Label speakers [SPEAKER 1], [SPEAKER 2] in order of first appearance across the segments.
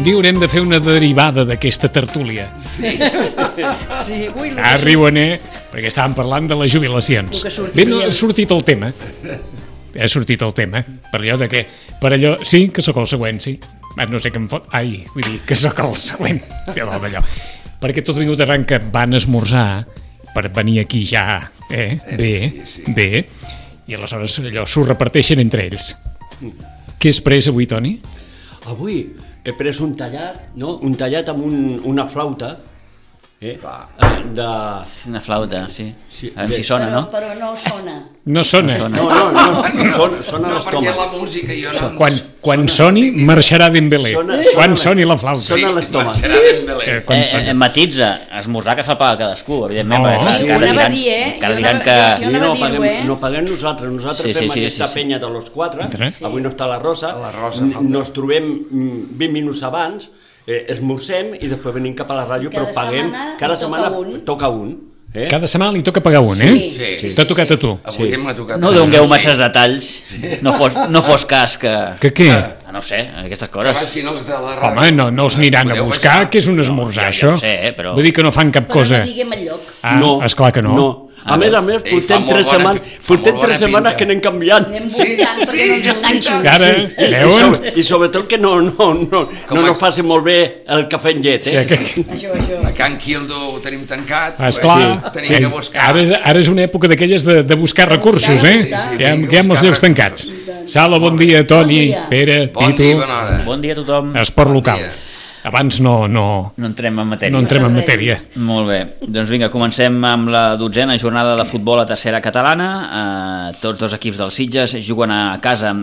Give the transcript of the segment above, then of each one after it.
[SPEAKER 1] Un dia haurem de fer una derivada d'aquesta tertúlia.
[SPEAKER 2] Sí.
[SPEAKER 1] Riuen, perquè estàvem parlant de les jubilacions. Bé, no, ha sortit el tema. Per allò de que... Per allò... Sí, que sóc el següent, sí. No sé què em fot... Ai, vull dir que sóc el següent. Perquè tot ha vingut arran que van esmorzar per venir aquí ja, bé, i aleshores allò s'ho reparteixen entre ells. Què has pres avui, Toni?
[SPEAKER 2] Avui he pres un tallat amb una flauta,
[SPEAKER 3] Una flauta, sí. A veure si sona, no?
[SPEAKER 4] Però no sona.
[SPEAKER 1] No sona.
[SPEAKER 2] No, sona
[SPEAKER 5] No, perquè
[SPEAKER 2] l'estómac.
[SPEAKER 5] la música jo no...
[SPEAKER 1] Quan soni, marxarà Dembélé. Quan soni la flauta.
[SPEAKER 2] Sona l'estómac.
[SPEAKER 5] Marxarà Dembélé.
[SPEAKER 3] Matitza, esmorzar que fa pagar cadascú, evidentment.
[SPEAKER 1] No.
[SPEAKER 3] perquè
[SPEAKER 4] Sí, ho anava a dir,
[SPEAKER 3] encara diran que...
[SPEAKER 4] Jo anava a dir-ho,
[SPEAKER 2] No paguem nosaltres
[SPEAKER 3] Sí,
[SPEAKER 2] fem
[SPEAKER 3] sí,
[SPEAKER 2] aquesta
[SPEAKER 3] sí.
[SPEAKER 2] penya de los quatre,
[SPEAKER 1] Sí.
[SPEAKER 2] avui no està la Rosa,
[SPEAKER 5] La Rosa falta.
[SPEAKER 2] nos trobem 20 minuts abans, esmorzem i després venim cap a la ràdio, però
[SPEAKER 4] Cada
[SPEAKER 2] paguem,
[SPEAKER 4] setmana
[SPEAKER 2] cada
[SPEAKER 4] li toca
[SPEAKER 2] setmana
[SPEAKER 4] un.
[SPEAKER 2] toca un.
[SPEAKER 1] Cada setmana li toca pagar un,
[SPEAKER 4] Sí.
[SPEAKER 1] T'ha tocat a tu.
[SPEAKER 5] Avui m'ha tocat...
[SPEAKER 3] No dongueu masses detalls, no fos cas que...
[SPEAKER 1] Que què?
[SPEAKER 3] No sé, aquestes
[SPEAKER 5] Que
[SPEAKER 3] coses.
[SPEAKER 5] vagin els de la ràdio.
[SPEAKER 1] Home, no els aniran a
[SPEAKER 5] Podeu
[SPEAKER 1] buscar,
[SPEAKER 5] baixar.
[SPEAKER 1] que és un esmorzar,
[SPEAKER 3] Ja ho
[SPEAKER 1] això.
[SPEAKER 3] sé, però-
[SPEAKER 1] Vull dir que no fan cap
[SPEAKER 4] Però
[SPEAKER 1] cosa.
[SPEAKER 4] no diguem el lloc.
[SPEAKER 1] Esclar que no.
[SPEAKER 2] A més,
[SPEAKER 5] Ei, fa
[SPEAKER 2] portem
[SPEAKER 5] molt
[SPEAKER 2] 3
[SPEAKER 5] bona
[SPEAKER 2] setmanes,
[SPEAKER 5] pi- fa
[SPEAKER 2] portem
[SPEAKER 5] molt bona
[SPEAKER 2] 3 setmanes
[SPEAKER 5] pinta.
[SPEAKER 2] que anem canviant.
[SPEAKER 4] Anem buscant perquè no ens enganxin.
[SPEAKER 1] Ara, veuen?
[SPEAKER 2] I sobretot que no nos faci molt bé el cafè en llet,
[SPEAKER 4] Això.
[SPEAKER 5] A Can Quildo ho tenim tancat.
[SPEAKER 1] Esclar,
[SPEAKER 5] Tenim que buscar.
[SPEAKER 1] ara és una època d'aquelles de buscar recursos,
[SPEAKER 4] Sí,
[SPEAKER 1] que
[SPEAKER 4] sí,
[SPEAKER 1] hi ha
[SPEAKER 5] tenim que
[SPEAKER 1] molts
[SPEAKER 5] buscar
[SPEAKER 1] llocs tancats. Sala, bon dia, Toni,
[SPEAKER 4] Bon dia.
[SPEAKER 1] Pere,
[SPEAKER 5] Bon dia,
[SPEAKER 1] Pitu,
[SPEAKER 5] bona hora.
[SPEAKER 3] Bon dia a tothom.
[SPEAKER 1] esport
[SPEAKER 5] Bon
[SPEAKER 1] local.
[SPEAKER 5] dia.
[SPEAKER 1] Abans no
[SPEAKER 3] No entrem en matèria.
[SPEAKER 1] entrem en matèria.
[SPEAKER 3] Molt bé, doncs vinga, comencem amb la 12a jornada de futbol a tercera catalana. Tots dos equips dels Sitges juguen a casa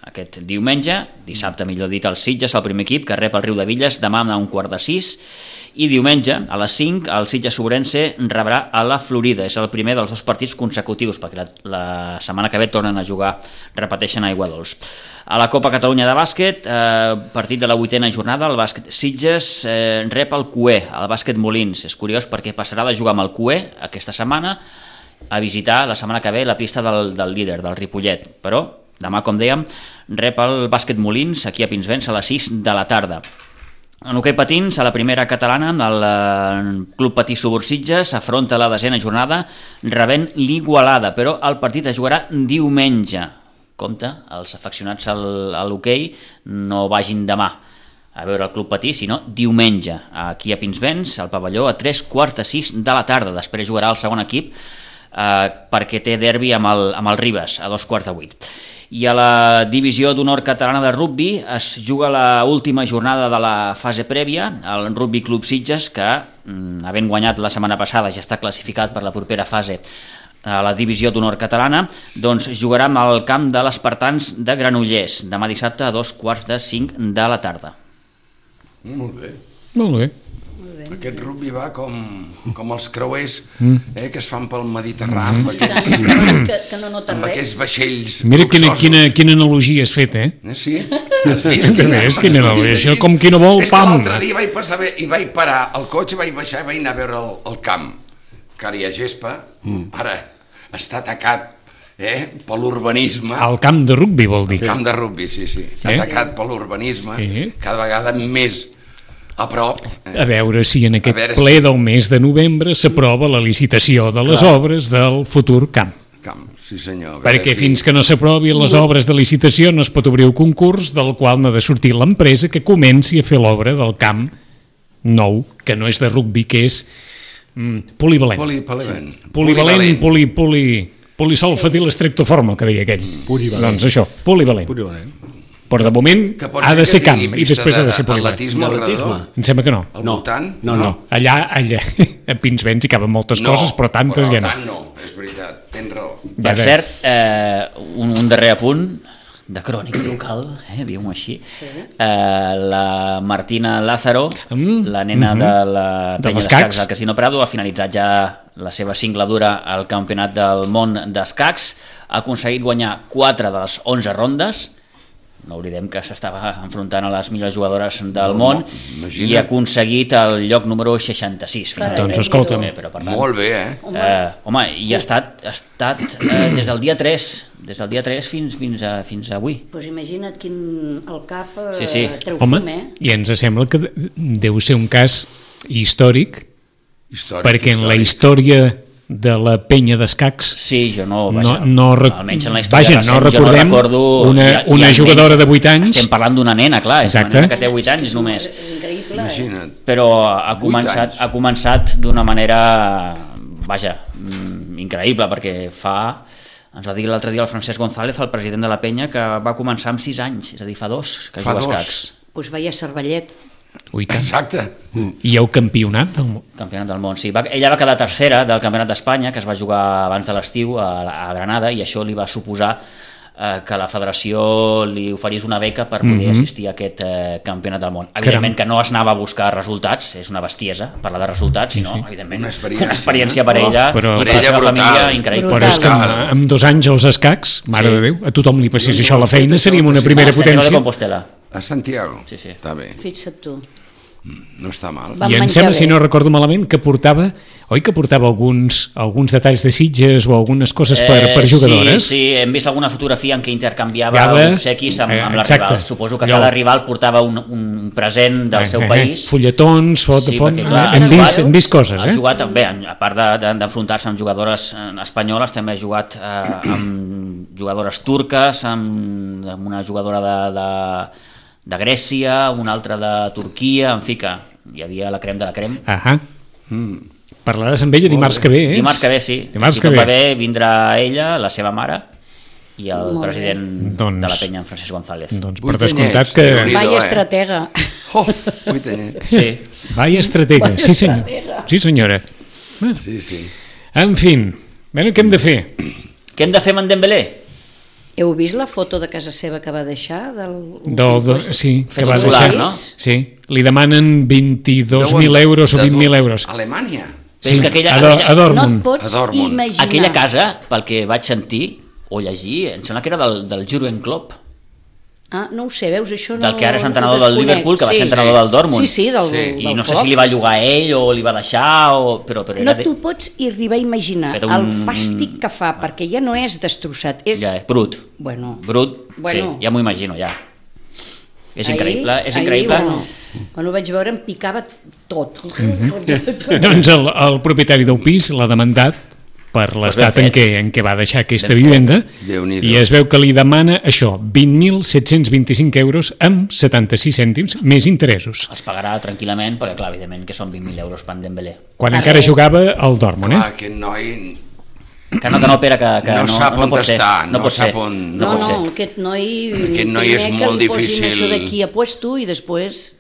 [SPEAKER 3] aquest diumenge, dissabte millor dit, el Sitges, el primer equip, que rep el Riu de Villes demà a 5:15, i diumenge a les 5 el Sitges Sobrense rebrà a la Florida. És el primer dels dos partits consecutius, perquè la setmana que ve tornen a jugar, repeteixen a Aiguadols. A la Copa Catalunya de bàsquet, partit de la 8a jornada, el bàsquet Sitges rep el CUE, el bàsquet Molins. És curiós perquè passarà de jugar amb el CUE aquesta setmana a visitar la setmana que ve la pista del líder, del Ripollet. Però demà, com dèiem, rep el bàsquet Molins aquí a Pinsbens a les 6 de la tarda. En hoquei patins, a la primera catalana, el Club Patí Subursitges afronta la 10a jornada rebent l'Igualada, però el partit es jugarà diumenge. Compte, els afeccionats a l'hoquei no vagin demà a veure el Club Patí, sinó diumenge, aquí a Pinsbens, al pavelló, a 5:45 de la tarda. Després jugarà el segon equip perquè té derbi amb el Ribes, a 7:15. I a la divisió d'honor catalana de rugbi es juga la última jornada de la fase prèvia, el Rugby Club Sitges, que havent guanyat la setmana passada ja està classificat per la propera fase a la divisió d'honor catalana, doncs jugarà amb el camp de l'Espartans de Granollers, demà dissabte a 4:45 de la tarda.
[SPEAKER 5] Molt bé.
[SPEAKER 1] Molt bé.
[SPEAKER 5] Aquest rugby va com els creuers que es fan pel Mediterrani, amb
[SPEAKER 4] Que no nota
[SPEAKER 5] amb aquests
[SPEAKER 4] res.
[SPEAKER 5] vaixells
[SPEAKER 1] Mira
[SPEAKER 5] luxosos.
[SPEAKER 1] quina analogia has fet,
[SPEAKER 5] Sí? Has vist?
[SPEAKER 1] És quina analogia, això com qui no vol,
[SPEAKER 5] És que
[SPEAKER 1] pam.
[SPEAKER 5] l'altre dia vaig passar bé i vaig parar el cotxe, vaig baixar i vaig anar a veure el camp, que ara hi ha gespa, ara està atacat per l'urbanisme.
[SPEAKER 1] El camp de rugbi vol dir.
[SPEAKER 5] El camp de rugby, sí. Està atacat per l'urbanisme,
[SPEAKER 1] Sí.
[SPEAKER 5] cada vegada més a prop.
[SPEAKER 1] A veure si en aquest
[SPEAKER 5] A veure
[SPEAKER 1] ple
[SPEAKER 5] si-
[SPEAKER 1] del mes de novembre s'aprova la licitació de les obres del futur camp.
[SPEAKER 5] Sí senyor. A veure
[SPEAKER 1] Perquè
[SPEAKER 5] si-
[SPEAKER 1] fins que no s'aprovi les obres de licitació no es pot obrir un concurs del qual n'ha de sortir l'empresa que comenci a fer l'obra del camp nou, que no és de rugbi, que és polivalent.
[SPEAKER 5] Polivalent.
[SPEAKER 1] Polisolfatil estrictoforma, que deia aquell. Doncs això, polivalent. Però de moment
[SPEAKER 5] Que pot
[SPEAKER 1] ha de ser
[SPEAKER 5] que
[SPEAKER 1] camp
[SPEAKER 5] tingui
[SPEAKER 1] i després
[SPEAKER 5] pista
[SPEAKER 1] ha de ser polivalent.
[SPEAKER 5] d'atletisme al redador?
[SPEAKER 1] Em sembla que no.
[SPEAKER 5] Al voltant?
[SPEAKER 2] No.
[SPEAKER 1] Allà a Pinsbens hi caben moltes coses, però tantes ja no.
[SPEAKER 5] tant no, és veritat, tens raó.
[SPEAKER 3] Per cert, un darrer apunt de crònica local, diguem-ho així. La Martina Lázaro, la nena de la
[SPEAKER 1] De
[SPEAKER 3] penya
[SPEAKER 1] l'escacs.
[SPEAKER 3] d'escacs del Casino Prado, ha finalitzat ja la seva singladura al Campionat del Món d'Escacs, ha aconseguit guanyar 4 de les 11 rondes no oblidem que s'estava enfrontant a les millors jugadores del món
[SPEAKER 5] imagina't.
[SPEAKER 3] i ha aconseguit el lloc número 66.
[SPEAKER 1] Doncs escolta'm.
[SPEAKER 3] Però, per tant,
[SPEAKER 5] Molt bé, eh?
[SPEAKER 3] home, i ha estat des del dia 3 fins avui.
[SPEAKER 4] Doncs imagina't quin el cap
[SPEAKER 3] Sí.
[SPEAKER 4] treu
[SPEAKER 1] Home,
[SPEAKER 4] fum,
[SPEAKER 1] i ens sembla que deu ser un cas històric, perquè en la història de la penya d'escacs
[SPEAKER 3] Sí, jo no... almenys en la història
[SPEAKER 1] vaja,
[SPEAKER 3] recent,
[SPEAKER 1] no recordem
[SPEAKER 3] jo no recordo,
[SPEAKER 1] una
[SPEAKER 3] almenys
[SPEAKER 1] jugadora de 8 anys.
[SPEAKER 3] Estem parlant d'una nena, clar, és
[SPEAKER 1] Exacte.
[SPEAKER 3] una nena que té 8 anys només.
[SPEAKER 4] És increïble.
[SPEAKER 5] Imagina't.
[SPEAKER 3] Però
[SPEAKER 5] 8 anys.
[SPEAKER 3] ha començat d'una manera, vaja, increïble, perquè ens va dir l'altre dia el Francesc González, el president de la penya, que va començar amb 6 anys, és a dir, fa 2 que
[SPEAKER 5] Fa
[SPEAKER 3] juga a
[SPEAKER 5] 2.
[SPEAKER 3] escacs.
[SPEAKER 4] Doncs vaya cervellet.
[SPEAKER 1] Ui, tant.
[SPEAKER 5] Exacte.
[SPEAKER 1] I hi ha un campionat del món.
[SPEAKER 3] Campionat del món, sí. Ella va quedar tercera del Campionat d'Espanya, que es va jugar abans de l'estiu a Granada, i això li va suposar que la federació li oferís una beca per poder assistir a aquest campionat del món. Evidentment que no es anava a buscar resultats, és una bestiesa parlar de resultats, sinó, evidentment,
[SPEAKER 5] Una
[SPEAKER 3] una
[SPEAKER 5] experiència,
[SPEAKER 3] experiència per ella
[SPEAKER 1] Però-
[SPEAKER 3] i per
[SPEAKER 5] Per
[SPEAKER 3] la
[SPEAKER 5] ella
[SPEAKER 3] seva
[SPEAKER 5] brutal.
[SPEAKER 3] família increïble.
[SPEAKER 1] Però és que amb 2 anys als escacs, mare
[SPEAKER 3] Sí.
[SPEAKER 1] de Déu, a tothom li passés això a la feina,
[SPEAKER 5] Sí,
[SPEAKER 1] seríem una
[SPEAKER 5] sí.
[SPEAKER 1] primera
[SPEAKER 3] Santiago de
[SPEAKER 1] potència.
[SPEAKER 3] Compostela.
[SPEAKER 5] A Santiago?
[SPEAKER 3] Sí.
[SPEAKER 5] Està bé,
[SPEAKER 4] Fixa't tu.
[SPEAKER 5] no està mal.
[SPEAKER 4] Va.
[SPEAKER 1] I em
[SPEAKER 4] menjar
[SPEAKER 1] sembla,
[SPEAKER 4] bé.
[SPEAKER 1] si no recordo malament, que portava alguns detalls de Sitges o algunes coses per jugadores.
[SPEAKER 3] Sí, hem vist alguna fotografia en què intercanviava
[SPEAKER 1] Canviava,
[SPEAKER 3] obsequis amb la
[SPEAKER 1] exacte.
[SPEAKER 3] rival. Suposo que
[SPEAKER 1] Allò.
[SPEAKER 3] cada rival portava un present del seu país.
[SPEAKER 1] Fulletons,
[SPEAKER 3] perquè, clar,
[SPEAKER 1] hem vist coses,
[SPEAKER 3] ha
[SPEAKER 1] eh?
[SPEAKER 3] jugat, bé, a part d'enfrontar-se amb jugadores espanyoles, també ha jugat amb jugadores turques, amb una jugadora de Grècia, una altra de Turquia, en fi que hi havia la crem de la crem.
[SPEAKER 1] Ahà. Parlaràs amb ella dimarts que ve, eh?
[SPEAKER 3] Dimarts que ve, sí.
[SPEAKER 1] Dimarts
[SPEAKER 3] Si
[SPEAKER 1] que
[SPEAKER 3] tot
[SPEAKER 1] ve.
[SPEAKER 3] va bé, vindrà ella, la seva mare, i el
[SPEAKER 4] Molt bé.
[SPEAKER 3] president
[SPEAKER 1] Doncs-
[SPEAKER 3] de la penya, en Francesc González.
[SPEAKER 1] Doncs per
[SPEAKER 5] Vuit
[SPEAKER 1] descomptat
[SPEAKER 5] anyets,
[SPEAKER 1] que...
[SPEAKER 5] Déu-n'hi-do.
[SPEAKER 4] Vaya
[SPEAKER 5] eh?
[SPEAKER 4] estratega.
[SPEAKER 5] Oh, 8 anyets.
[SPEAKER 3] Sí.
[SPEAKER 1] Vaya estratega, sí senyor. Sí senyora.
[SPEAKER 5] Sí.
[SPEAKER 1] En fi, bueno, què hem de fer?
[SPEAKER 3] Què hem de fer amb en Dembélé?
[SPEAKER 4] Heu vist la foto de casa seva que va deixar?
[SPEAKER 1] Sí, que
[SPEAKER 3] Fet
[SPEAKER 1] va
[SPEAKER 3] un solar,
[SPEAKER 1] deixar.
[SPEAKER 3] no?
[SPEAKER 1] Sí, li demanen 22.000 euros o 20.000 euros.
[SPEAKER 5] Alemanya.
[SPEAKER 3] Però és que aquella-
[SPEAKER 1] a
[SPEAKER 4] No et
[SPEAKER 1] Dortmund.
[SPEAKER 4] pots
[SPEAKER 5] A Dortmund.
[SPEAKER 4] imaginar.
[SPEAKER 3] Aquella casa, pel que vaig sentir o llegir, em sembla que era del Jürgen Klopp,
[SPEAKER 4] Ah, no ho sé, veus, això no...
[SPEAKER 3] del que ara és
[SPEAKER 4] ho
[SPEAKER 3] entrenador del
[SPEAKER 4] desconec.
[SPEAKER 3] Liverpool, que va ser
[SPEAKER 4] Sí.
[SPEAKER 3] entrenador del Dortmund.
[SPEAKER 4] Sí, del
[SPEAKER 3] I no sé
[SPEAKER 4] Klopp.
[SPEAKER 3] si li va llogar a ell o li va deixar, però era
[SPEAKER 4] No t'ho pots arribar a imaginar,
[SPEAKER 3] Fet
[SPEAKER 4] el fàstic que fa, perquè ja no és destrossat, és...
[SPEAKER 3] Ja, brut.
[SPEAKER 4] Bueno,
[SPEAKER 3] Brut,
[SPEAKER 4] Bueno.
[SPEAKER 3] sí, ja m'ho imagino, ja. És increïble, és
[SPEAKER 4] ahir,
[SPEAKER 3] increïble.
[SPEAKER 4] Quan ho vaig veure em picava tot.
[SPEAKER 1] Doncs el propietari del pis l'ha demandat per l'estat
[SPEAKER 3] ben
[SPEAKER 1] en què va deixar aquesta
[SPEAKER 3] Ben fet.
[SPEAKER 1] vivenda
[SPEAKER 5] Déu-n'hi-do.
[SPEAKER 1] i es veu que li demana això, 20.725 euros amb 76 cèntims més interessos,
[SPEAKER 3] Els pagarà tranquil·lament, perquè clar, evidentment que són 20.000 euros per en Dembélé.
[SPEAKER 1] quan encara jugava al Dortmund,
[SPEAKER 5] Clar,
[SPEAKER 1] eh?
[SPEAKER 5] aquest noi
[SPEAKER 3] Que no, Pere, que
[SPEAKER 5] No sap on
[SPEAKER 3] pot ser.
[SPEAKER 5] estar,
[SPEAKER 3] No
[SPEAKER 5] no
[SPEAKER 3] pot
[SPEAKER 5] sap
[SPEAKER 3] ser.
[SPEAKER 5] on-
[SPEAKER 3] No pot ser.
[SPEAKER 4] Aquest noi...
[SPEAKER 5] Aquest noi és
[SPEAKER 4] primer que
[SPEAKER 5] molt
[SPEAKER 4] li posin
[SPEAKER 5] difícil.
[SPEAKER 4] Això d'aquí a puesto i després...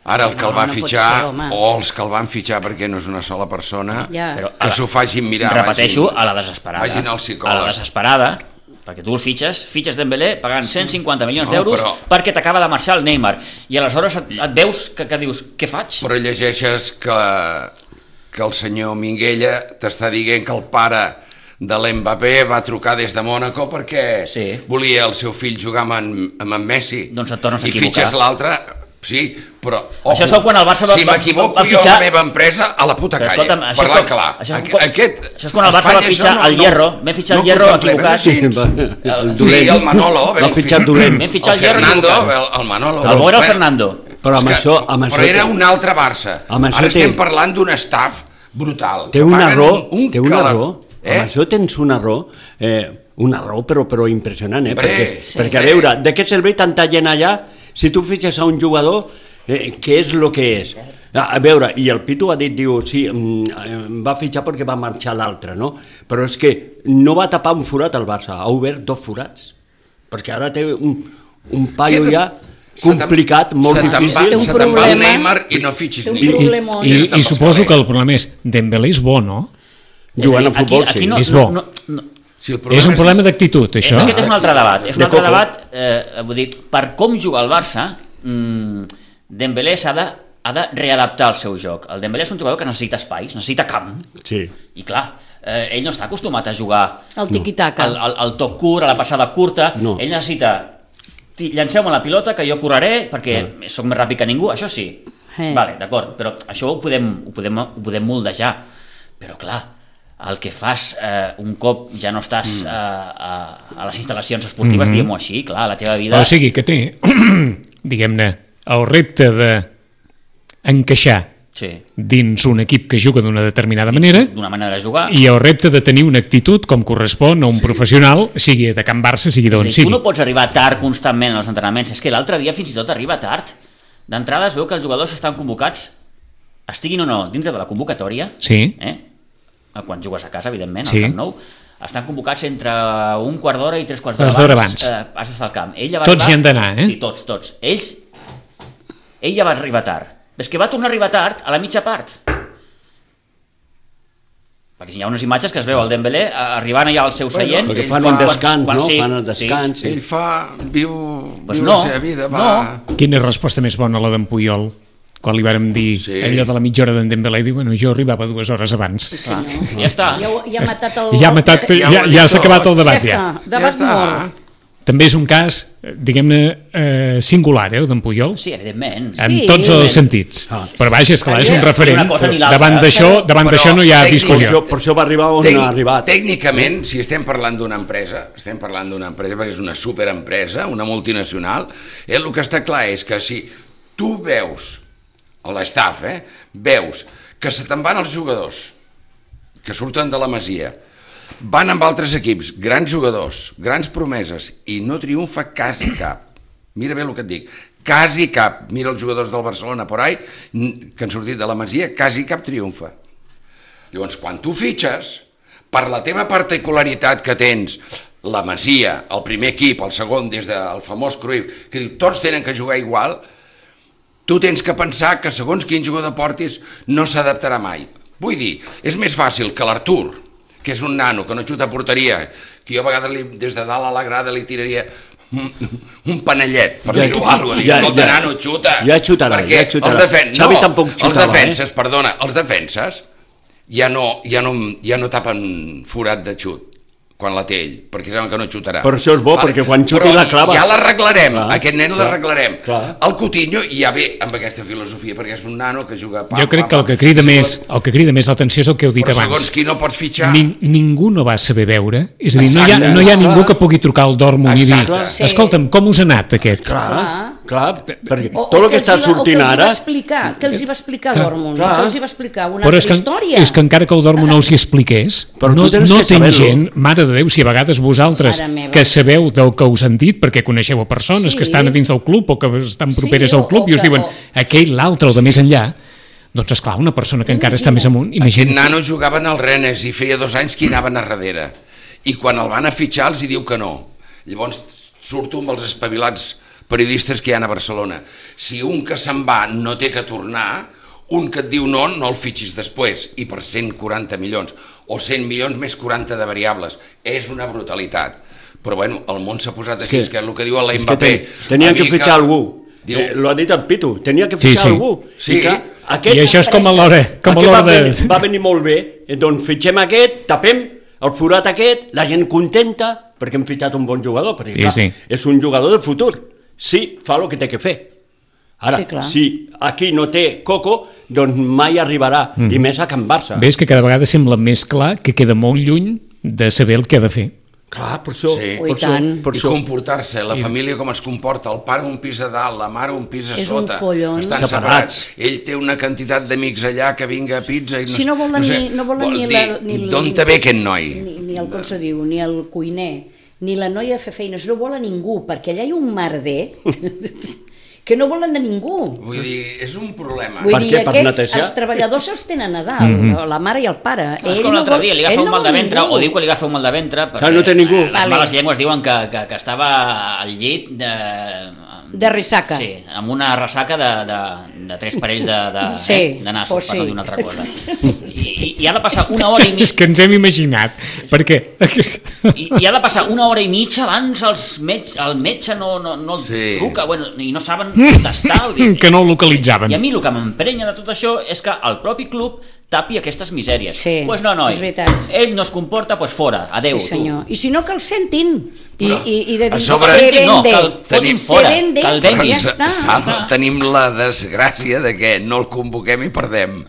[SPEAKER 5] Ara el que el va
[SPEAKER 4] No pot
[SPEAKER 5] fitxar,
[SPEAKER 4] ser, home.
[SPEAKER 5] o els que el van fitxar perquè no és una sola persona,
[SPEAKER 4] Ja.
[SPEAKER 3] Però
[SPEAKER 5] que s'ho facin mirar.
[SPEAKER 3] Repeteixo,
[SPEAKER 5] vagin-
[SPEAKER 3] a la desesperada.
[SPEAKER 5] Vagin al psicòleg.
[SPEAKER 3] A la desesperada, perquè tu el fitxes Dembélé pagant 150 milions
[SPEAKER 5] No,
[SPEAKER 3] d'euros
[SPEAKER 5] però-
[SPEAKER 3] perquè t'acaba de marxar el Neymar. I aleshores et veus que dius, què faig?
[SPEAKER 5] Però llegeixes que el senyor Minguella t'està dient que el pare de l'Mbappé va trucar des de Mònaco perquè
[SPEAKER 3] Sí.
[SPEAKER 5] volia el seu fill jugar amb en Messi.
[SPEAKER 3] Doncs et tornes a
[SPEAKER 5] I
[SPEAKER 3] equivocar.
[SPEAKER 5] fitxes l'altre, sí, però...
[SPEAKER 3] Això és quan el Barça va-
[SPEAKER 5] Si m'equivoco
[SPEAKER 3] va
[SPEAKER 5] jo
[SPEAKER 3] fitxar-
[SPEAKER 5] la meva empresa a la puta
[SPEAKER 3] Però
[SPEAKER 5] calle,
[SPEAKER 3] escolta'm, això és
[SPEAKER 5] parlant
[SPEAKER 3] quan-
[SPEAKER 5] clar.
[SPEAKER 3] això és quan-
[SPEAKER 5] Aquest,
[SPEAKER 3] això és quan el Barça
[SPEAKER 5] Espanya
[SPEAKER 3] va fitxar
[SPEAKER 5] això
[SPEAKER 3] el Hierro. Vam fitxar el Hierro
[SPEAKER 5] contemplem
[SPEAKER 3] equivocat.
[SPEAKER 5] així.
[SPEAKER 6] el
[SPEAKER 5] Sí,
[SPEAKER 6] dolent.
[SPEAKER 5] el Manolo.
[SPEAKER 6] L'ha fitxat dolent.
[SPEAKER 3] Vam fitxar el Hierro
[SPEAKER 5] Fernando,
[SPEAKER 3] equivocat.
[SPEAKER 5] el Manolo.
[SPEAKER 3] El bo era el
[SPEAKER 5] Bueno,
[SPEAKER 3] Fernando.
[SPEAKER 6] Però amb
[SPEAKER 5] és que-
[SPEAKER 6] això
[SPEAKER 5] però era un altre Barça.
[SPEAKER 6] amb això
[SPEAKER 5] Ara estem
[SPEAKER 6] té-
[SPEAKER 5] parlant d'un staff brutal.
[SPEAKER 6] Té
[SPEAKER 5] que
[SPEAKER 6] un
[SPEAKER 5] paguen
[SPEAKER 6] error, té un
[SPEAKER 5] calor.
[SPEAKER 6] error. Amb això tens un error, però impressionant,
[SPEAKER 5] Hombre,
[SPEAKER 6] perquè a veure, de què serveix tanta gent allà si tu fitxes a un jugador, què és el que és? A veure, i el Pitu ha dit, diu, sí, va fitxar perquè va marxar l'altre, no? Però és que no va tapar un forat al Barça, ha obert 2 forats, perquè ara té un paio
[SPEAKER 5] Què-
[SPEAKER 6] ja complicat, molt difícil.
[SPEAKER 4] Té un
[SPEAKER 5] Se te'n va el
[SPEAKER 4] problema.
[SPEAKER 5] Neymar i no fitxis
[SPEAKER 4] Té un
[SPEAKER 5] ningú.
[SPEAKER 4] problema.
[SPEAKER 1] I suposo que el problema és Dembélé és bo, no?
[SPEAKER 6] Jugant a
[SPEAKER 3] És a dir,
[SPEAKER 6] futbol,
[SPEAKER 3] aquí
[SPEAKER 6] sí.
[SPEAKER 3] no,
[SPEAKER 1] És bo.
[SPEAKER 3] no,
[SPEAKER 5] Si el
[SPEAKER 1] És un problema d'actitud, això?
[SPEAKER 3] Aquest és un altre debat. És un
[SPEAKER 6] De
[SPEAKER 3] altre
[SPEAKER 6] coco.
[SPEAKER 3] debat, vull dir, per com juga el Barça, Dembélé ha de readaptar el seu joc. El Dembélé és un jugador que necessita espais, necessita camp,
[SPEAKER 6] Sí.
[SPEAKER 3] i clar, ell no està acostumat a jugar
[SPEAKER 4] El tiqui-taca.
[SPEAKER 3] el toc curt, a la passada curta,
[SPEAKER 6] No.
[SPEAKER 3] ell necessita llanceu-me la pilota que jo correré perquè sóc més ràpid que ningú, això sí. Vale, d'acord, però això ho podem moldejar. Però clar, el que fas un cop ja no estàs a les instal·lacions esportives, diguem-ho així, clar, la teva vida...
[SPEAKER 1] O sigui que té, diguem-ne, el repte d'encaixar dins un equip que juga d'una determinada manera,
[SPEAKER 3] d'una manera de jugar,
[SPEAKER 1] i el repte de tenir una actitud com correspon a un professional, sigui de Can Barça, sigui d'on sigui.
[SPEAKER 3] Tu no pots arribar tard constantment als entrenaments, és que l'altre dia fins i tot arriba tard. D'entrada es veu que els jugadors estan convocats, estiguin o no dintre de la convocatòria, quan jugues a casa, evidentment, al Camp Nou, estan convocats entre un quart d'hora i 3 quarts d'hora abans. Has d'estar al camp.
[SPEAKER 1] Tots hi han d'anar,
[SPEAKER 3] Sí, tots. Ell ja va arribar tard. És que va tornar a arribar tard a la mitja part. Perquè hi ha unes imatges que es veu el Dembélé arribant allà al seu seient.
[SPEAKER 6] Perquè fan un descans, no? Fan el descans.
[SPEAKER 5] Ell viu la seva vida.
[SPEAKER 1] Quina resposta més bona la d'en Puyol? Quan li vàrem dir allò de la mitja hora d'en Dembélé, diu, bueno, jo arribava 2 hores abans.
[SPEAKER 3] Ja està.
[SPEAKER 4] Ja ha matat el...
[SPEAKER 1] Ja s'ha acabat el debat, ja.
[SPEAKER 4] Debat mort.
[SPEAKER 1] També és un cas, diguem-ne, singular, el d'en Puyol.
[SPEAKER 3] Sí, evidentment.
[SPEAKER 1] En tots els sentits. Però vaja, esclar, és un referent. Davant d'això no hi ha discussió.
[SPEAKER 6] Per això va arribar on ha arribat.
[SPEAKER 5] Tècnicament, si estem parlant d'una empresa, perquè és una superempresa, una multinacional, el que està clar és que si tu veus, a l'estaf, veus que se te'n van els jugadors que surten de la Masia, van amb altres equips, grans jugadors, grans promeses, i no triomfa quasi cap. Mira bé el que et dic, quasi cap. Mira els jugadors del Barcelona por ahí, que han sortit de la Masia, quasi cap triomfa. Llavors, quan tu fitxes, per la teva particularitat que tens, la Masia, el primer equip, el segon, des del famós Cruyff, que diu, tots tenen que jugar igual, tu tens que pensar que segons quin jugador portis no s'adaptarà mai. Vull dir, és més fàcil que l'Artur, que és un nano que no xuta a porteria, que jo a vegades des de dalt a la grada li tiraria un panellet, per dir-ho alguna cosa. Escolta, nano, xuta.
[SPEAKER 6] Ja xutarà, ja xutarà. Xavi tampoc xutava,
[SPEAKER 5] els defenses ja no tapen forat de xut quan la té ell, perquè saben que no xutarà.
[SPEAKER 6] Per això és bo, perquè quan xuti la clava...
[SPEAKER 5] Ja l'arreglarem, aquest nen l'arreglarem. El Coutinho ja ve amb aquesta filosofia, perquè és un nano que juga...
[SPEAKER 1] Jo crec que el que crida més l'atenció és el que heu dit abans.
[SPEAKER 5] Però segons qui no pots fitxar...
[SPEAKER 1] Ningú no va saber veure, és a dir, no hi ha ningú que pugui trucar al Dortmund i dir, escolta'm, com us ha anat aquest?
[SPEAKER 6] Clar, perquè tot el que està sortint ara...
[SPEAKER 4] Què els hi va explicar Dortmund? Què els hi va explicar? Una
[SPEAKER 1] altra
[SPEAKER 4] història?
[SPEAKER 1] És que encara que el Dortmund no els hi expliqués, no té gent, mare de Déu, si a vegades vosaltres que sabeu del que us han dit perquè coneixeu a persones que estan a dins del club o que estan properes al club i us diuen aquell, l'altre, el de més enllà, doncs esclar, una persona que encara està més amunt...
[SPEAKER 5] Aquest nano jugava en el Rennes i feia 2 anys que hi anaven a darrere, i quan el van a fitxar els hi diu que no. Llavors surto amb els espavilats periodistes que hi ha a Barcelona. Si un que se'n va no té que tornar, un que et diu no el fitxis després, i per 140 milions, o 100 milions més 40 de variables. És una brutalitat. Però bueno, el món s'ha posat així, que és el que diu l'Mbappé.
[SPEAKER 6] Tenien que fitxar algú. Lo ha dit el Pitu, tenia que fitxar algú.
[SPEAKER 1] I això és com a l'hora de...
[SPEAKER 6] Va venir molt bé, doncs fitxem aquest, tapem el forat aquest, la gent contenta, perquè hem fitxat un bon jugador, perquè clar, és un jugador del futur. Sí, fa el que té que fer. Ara, si aquí no té coco, doncs mai arribarà, i més a Can Barça.
[SPEAKER 1] Ves que cada vegada sembla més clar que queda molt lluny de saber el que ha de fer.
[SPEAKER 6] Clar, per això.
[SPEAKER 5] I comportar-se, la família com es comporta, el pare un pis a dalt, la mare un pis a sota, estan separats. Ell té una quantitat d'amics allà que vinga a pizza...
[SPEAKER 4] Si no volen ni...
[SPEAKER 5] D'on te ve aquest noi?
[SPEAKER 4] Ni el, com se diu, ni el cuiner, ni la noia de fer feines, no volen ningú, perquè allà hi ha un merder... que no volen de ningú.
[SPEAKER 5] Vull dir, és un problema.
[SPEAKER 4] Vull dir, aquests, els treballadors els tenen a dalt, la mare i el pare.
[SPEAKER 3] És com l'altre dia, li agafa un mal de ventre, o diu que li agafa un mal de ventre, perquè
[SPEAKER 6] no té ningú.
[SPEAKER 3] Les males llengües diuen que estava al llit
[SPEAKER 4] de ressaca.
[SPEAKER 3] Sí, amb una ressaca de 3 parells de nassos, per no dir una altra cosa. I ha de passar 1 hora i mitja...
[SPEAKER 1] És que ens hem imaginat, perquè...
[SPEAKER 3] I ha de passar 1 hora i mitja abans el metge no els truca, i no saben contestar.
[SPEAKER 1] Que no el localitzaven.
[SPEAKER 3] I a mi el que m'emprenya de tot això és que el propi club tapi aquestes misèries.
[SPEAKER 4] Sí,
[SPEAKER 3] Pues no, noi,
[SPEAKER 4] és veritat.
[SPEAKER 3] ell no es comporta, pues fora, adeu,
[SPEAKER 4] Sí, senyor. I si no, que el sentin. I de dir,
[SPEAKER 5] sobre-
[SPEAKER 4] se
[SPEAKER 3] No,
[SPEAKER 4] vende.
[SPEAKER 3] que el fotin
[SPEAKER 4] Se
[SPEAKER 3] fora,
[SPEAKER 4] vende,
[SPEAKER 3] que el
[SPEAKER 4] però
[SPEAKER 3] venguin.
[SPEAKER 4] ja està.
[SPEAKER 5] Sal, tenim la desgràcia de que no el convoquem i perdem.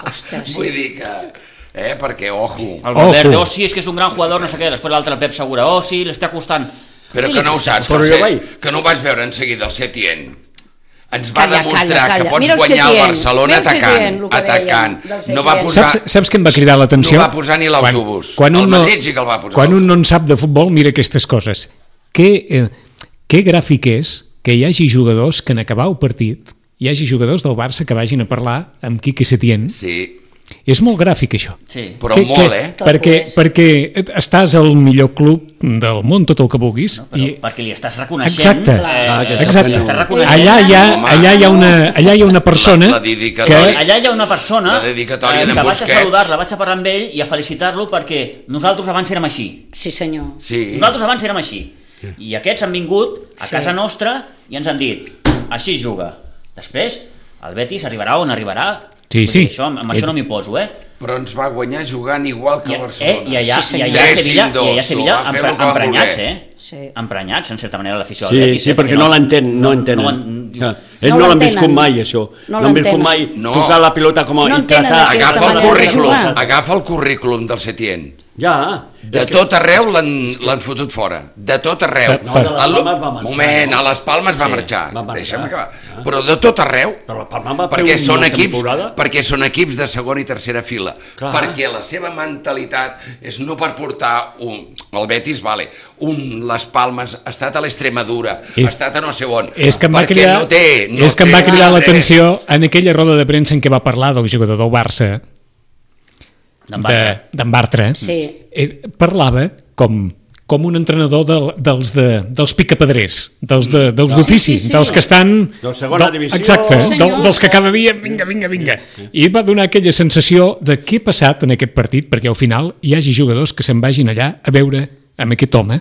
[SPEAKER 4] Ostres.
[SPEAKER 5] Vull dir que... perquè, ojo...
[SPEAKER 3] El Valverde,
[SPEAKER 1] Ojo.
[SPEAKER 3] sí, és que és un gran jugador, no sé què, després l'altre Pep Segura, sí, l'està costant.
[SPEAKER 5] Però que no ho saps,
[SPEAKER 6] Però jo vaig-
[SPEAKER 5] que no ho vas veure en seguida el Setién. Ens va
[SPEAKER 4] Calla,
[SPEAKER 5] demostrar
[SPEAKER 4] calla,
[SPEAKER 5] que
[SPEAKER 4] calla.
[SPEAKER 5] pots
[SPEAKER 4] Mira el
[SPEAKER 5] guanyar el
[SPEAKER 4] Setién,
[SPEAKER 5] Barcelona
[SPEAKER 4] mira el Setién,
[SPEAKER 5] atacant,
[SPEAKER 4] el que
[SPEAKER 5] atacant.
[SPEAKER 4] dèiem del
[SPEAKER 5] No va
[SPEAKER 4] Setién.
[SPEAKER 5] posar,
[SPEAKER 1] Saps què em va cridar l'atenció?
[SPEAKER 5] no va posar ni l'autobús.
[SPEAKER 1] Quan
[SPEAKER 5] El
[SPEAKER 1] un no,
[SPEAKER 5] Madrid sí que el va posar.
[SPEAKER 1] Quan un no en sap de futbol, mira aquestes coses. Què gràfic és que hi hagi jugadors que en acabar el partit hi hagi jugadors del Barça que vagin a parlar amb Quique Setién.
[SPEAKER 5] Sí,
[SPEAKER 1] És molt gràfic, això.
[SPEAKER 3] Sí.
[SPEAKER 5] però molt,
[SPEAKER 1] Perquè estàs al millor club del món, tot el que vulguis.
[SPEAKER 3] Perquè li estàs reconeixent...
[SPEAKER 1] Exacte, exacte.
[SPEAKER 3] Li estàs reconeixent...
[SPEAKER 1] Allà hi ha una persona
[SPEAKER 5] La dedicatòria.
[SPEAKER 3] Allà hi ha una persona
[SPEAKER 5] La dedicatòria d'en
[SPEAKER 3] que vaig a
[SPEAKER 5] Busquets.
[SPEAKER 3] saludar-la, vaig a parlar amb ell i a felicitar-lo perquè nosaltres abans érem així.
[SPEAKER 4] Sí, senyor.
[SPEAKER 5] Sí.
[SPEAKER 3] Nosaltres abans érem així. I aquests han vingut a
[SPEAKER 4] Sí.
[SPEAKER 3] casa nostra i ens han dit, així es juga. Després, el Betis arribarà on arribarà.
[SPEAKER 1] Sí,
[SPEAKER 3] Vull dir,
[SPEAKER 1] sí.
[SPEAKER 3] Això, amb això no m'hi poso,
[SPEAKER 5] Però ens va guanyar jugant igual que el Barcelona.
[SPEAKER 3] I allà,
[SPEAKER 4] Sí,
[SPEAKER 3] i
[SPEAKER 4] senyor.
[SPEAKER 3] allà a Sevilla,
[SPEAKER 5] 3-5-2,
[SPEAKER 3] i allà a Sevilla
[SPEAKER 5] va fer el que va
[SPEAKER 3] emprenyats,
[SPEAKER 5] voler.
[SPEAKER 4] Sí.
[SPEAKER 3] Emprenyats, en certa manera, l'afició
[SPEAKER 6] Sí,
[SPEAKER 3] del Betis.
[SPEAKER 6] sí, perquè no l'entén, no entenen.
[SPEAKER 3] diu,
[SPEAKER 6] Ells
[SPEAKER 4] No
[SPEAKER 6] no l'han
[SPEAKER 4] l'entenen.
[SPEAKER 6] viscut mai, això.
[SPEAKER 4] No
[SPEAKER 6] No han viscut
[SPEAKER 4] l'entenen.
[SPEAKER 6] mai
[SPEAKER 5] No.
[SPEAKER 6] tocar la pilota com a...
[SPEAKER 4] No
[SPEAKER 6] i
[SPEAKER 4] entenen
[SPEAKER 6] traçar-
[SPEAKER 4] aquesta
[SPEAKER 5] Agafa el
[SPEAKER 4] manera de
[SPEAKER 5] currículum,
[SPEAKER 4] jugar.
[SPEAKER 5] agafa el currículum del Setién.
[SPEAKER 6] Ja.
[SPEAKER 5] De tot arreu l'han fotut fora. De tot arreu.
[SPEAKER 6] No, de les Palmes va marxar,
[SPEAKER 5] Moment,
[SPEAKER 6] no?
[SPEAKER 5] a les Palmes va
[SPEAKER 6] Sí,
[SPEAKER 5] marxar.
[SPEAKER 6] va marxar.
[SPEAKER 5] Deixa'm acabar. Però de tot arreu.
[SPEAKER 6] Però la Palma va fer
[SPEAKER 5] Perquè
[SPEAKER 6] una temporada.
[SPEAKER 5] perquè són equips de segona i tercera fila.
[SPEAKER 6] Clar.
[SPEAKER 5] Perquè la seva mentalitat és no per portar el Betis, vale, les Palmes, ha estat a l'Extremadura, ha estat a no sé on.
[SPEAKER 1] És que em va
[SPEAKER 5] perquè
[SPEAKER 1] cridar,
[SPEAKER 5] no té
[SPEAKER 1] cridar
[SPEAKER 5] res.
[SPEAKER 1] l'atenció en aquella roda de premsa en què va parlar del jugador del Barça, d'en Bartra.
[SPEAKER 4] Sí.
[SPEAKER 1] Parlava com un entrenador dels picapedrers, dels d'ofici,
[SPEAKER 4] Sí, sí, sí.
[SPEAKER 1] dels que estan...
[SPEAKER 6] De segona divisió.
[SPEAKER 1] Exacte,
[SPEAKER 4] Sí, senyor.
[SPEAKER 1] dels que cada dia, vinga. I va donar aquella sensació de què ha passat en aquest partit, perquè al final hi hagi jugadors que se'n vagin allà a veure amb aquest home.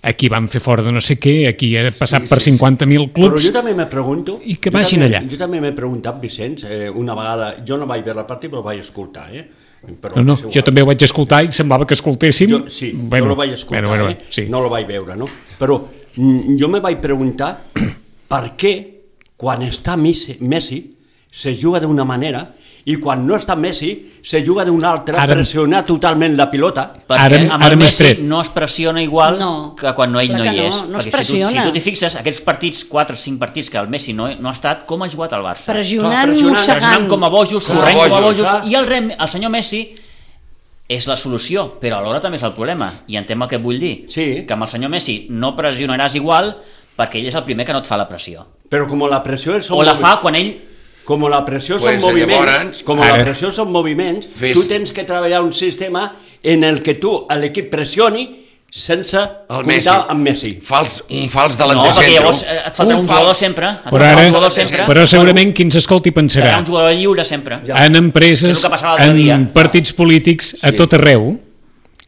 [SPEAKER 1] Aquí van fer fora de no sé què, aquí ha passat per 50.000
[SPEAKER 6] Però
[SPEAKER 1] clubs.
[SPEAKER 6] jo també me pregunto...
[SPEAKER 1] I que vagin allà.
[SPEAKER 6] Jo també m'he preguntat, Vicenç, una vegada... Jo no vaig veure el partit, però el vaig escoltar, Però
[SPEAKER 1] No,
[SPEAKER 6] és igual.
[SPEAKER 1] jo també ho vaig escoltar i semblava que escoltéssim.
[SPEAKER 6] Jo, sí, jo el vaig escoltar,
[SPEAKER 1] bueno, sí.
[SPEAKER 6] no el vaig veure, no? Però jo me vaig preguntar per què quan està Messi se juga d'una manera i quan no està Messi se juga d'una altra,
[SPEAKER 1] Ara-
[SPEAKER 6] pressionar totalment la pilota.
[SPEAKER 3] Perquè amb
[SPEAKER 1] Ara
[SPEAKER 3] el
[SPEAKER 1] m'he
[SPEAKER 3] Messi
[SPEAKER 1] tret.
[SPEAKER 3] no es pressiona igual
[SPEAKER 4] No.
[SPEAKER 3] que quan ell
[SPEAKER 4] Clar
[SPEAKER 3] no
[SPEAKER 4] que
[SPEAKER 3] hi
[SPEAKER 4] no,
[SPEAKER 3] és.
[SPEAKER 4] no es
[SPEAKER 3] Perquè si
[SPEAKER 4] pressiona.
[SPEAKER 3] tu t'hi fixes, aquests partits, 4 o 5 partits que el Messi no ha estat, com ha jugat el Barça?
[SPEAKER 4] Pressionant,
[SPEAKER 6] pressionant,
[SPEAKER 3] Pressionant
[SPEAKER 4] mossegant.
[SPEAKER 3] com a bojos,
[SPEAKER 5] Com a
[SPEAKER 3] corrent com a
[SPEAKER 5] bojos,
[SPEAKER 3] bojos, i el senyor Messi és la solució, però alhora també és el problema, i entenc el que vull dir,
[SPEAKER 6] Sí.
[SPEAKER 3] que amb el senyor Messi no pressionaràs igual perquè ell és el primer que no et fa la pressió.
[SPEAKER 6] Però com la pressió és...
[SPEAKER 3] O la fa quan ell...
[SPEAKER 6] Com la pressió
[SPEAKER 5] Pues,
[SPEAKER 6] són moviments,
[SPEAKER 5] llavors,
[SPEAKER 6] com
[SPEAKER 1] ara-
[SPEAKER 6] la pressió són moviments, tu tens que treballar un sistema en el que tu, l'equip pressioni sense comptar amb Messi.
[SPEAKER 5] Un fals
[SPEAKER 3] No,
[SPEAKER 5] delanter
[SPEAKER 3] perquè
[SPEAKER 5] centre.
[SPEAKER 3] llavors et faltarà un jugador sempre. Et
[SPEAKER 1] Però,
[SPEAKER 3] faltarà
[SPEAKER 1] ara,
[SPEAKER 3] un jugador sempre.
[SPEAKER 1] però segurament qui ens escolti
[SPEAKER 3] Hi haurà
[SPEAKER 1] pensarà
[SPEAKER 3] un jugador lliure sempre.
[SPEAKER 6] Ja.
[SPEAKER 1] en empreses,
[SPEAKER 3] És el que passava l'altre
[SPEAKER 1] en
[SPEAKER 3] dia.
[SPEAKER 1] partits polítics, a tot arreu,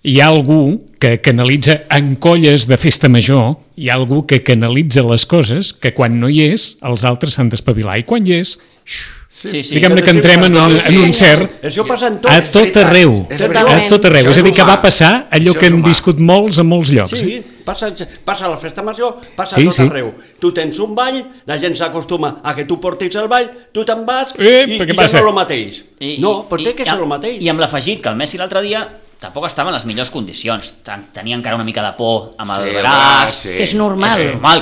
[SPEAKER 1] hi ha algú que canalitza en colles de festa major, hi ha algú que canalitza les coses que quan no hi és, els altres s'han d'espavilar. I quan hi és,
[SPEAKER 3] Sí, sí.
[SPEAKER 1] diguem-ne que entrem en un cert
[SPEAKER 6] Això passa en tot.
[SPEAKER 1] a tot arreu,
[SPEAKER 5] és
[SPEAKER 4] veritat.
[SPEAKER 1] a tot arreu.
[SPEAKER 5] Això
[SPEAKER 1] És a dir, que
[SPEAKER 5] humà.
[SPEAKER 1] va passar allò
[SPEAKER 5] Això
[SPEAKER 1] que
[SPEAKER 5] és
[SPEAKER 1] hem
[SPEAKER 5] humà.
[SPEAKER 1] viscut molts a molts llocs.
[SPEAKER 6] Sí, passa a la festa major, passa
[SPEAKER 1] Sí,
[SPEAKER 6] a tot
[SPEAKER 1] sí.
[SPEAKER 6] arreu. Tu tens un ball, la gent s'acostuma a que tu portis el ball, tu te'n vas
[SPEAKER 1] Però què
[SPEAKER 6] i
[SPEAKER 1] passa?
[SPEAKER 6] ja no el mateix. No, però té que ser el mateix.
[SPEAKER 3] I amb l'afegit que el Messi l'altre dia tampoc estava en les millors condicions. Tenia encara una mica de por amb el braç.
[SPEAKER 5] Sí.
[SPEAKER 4] Que és normal.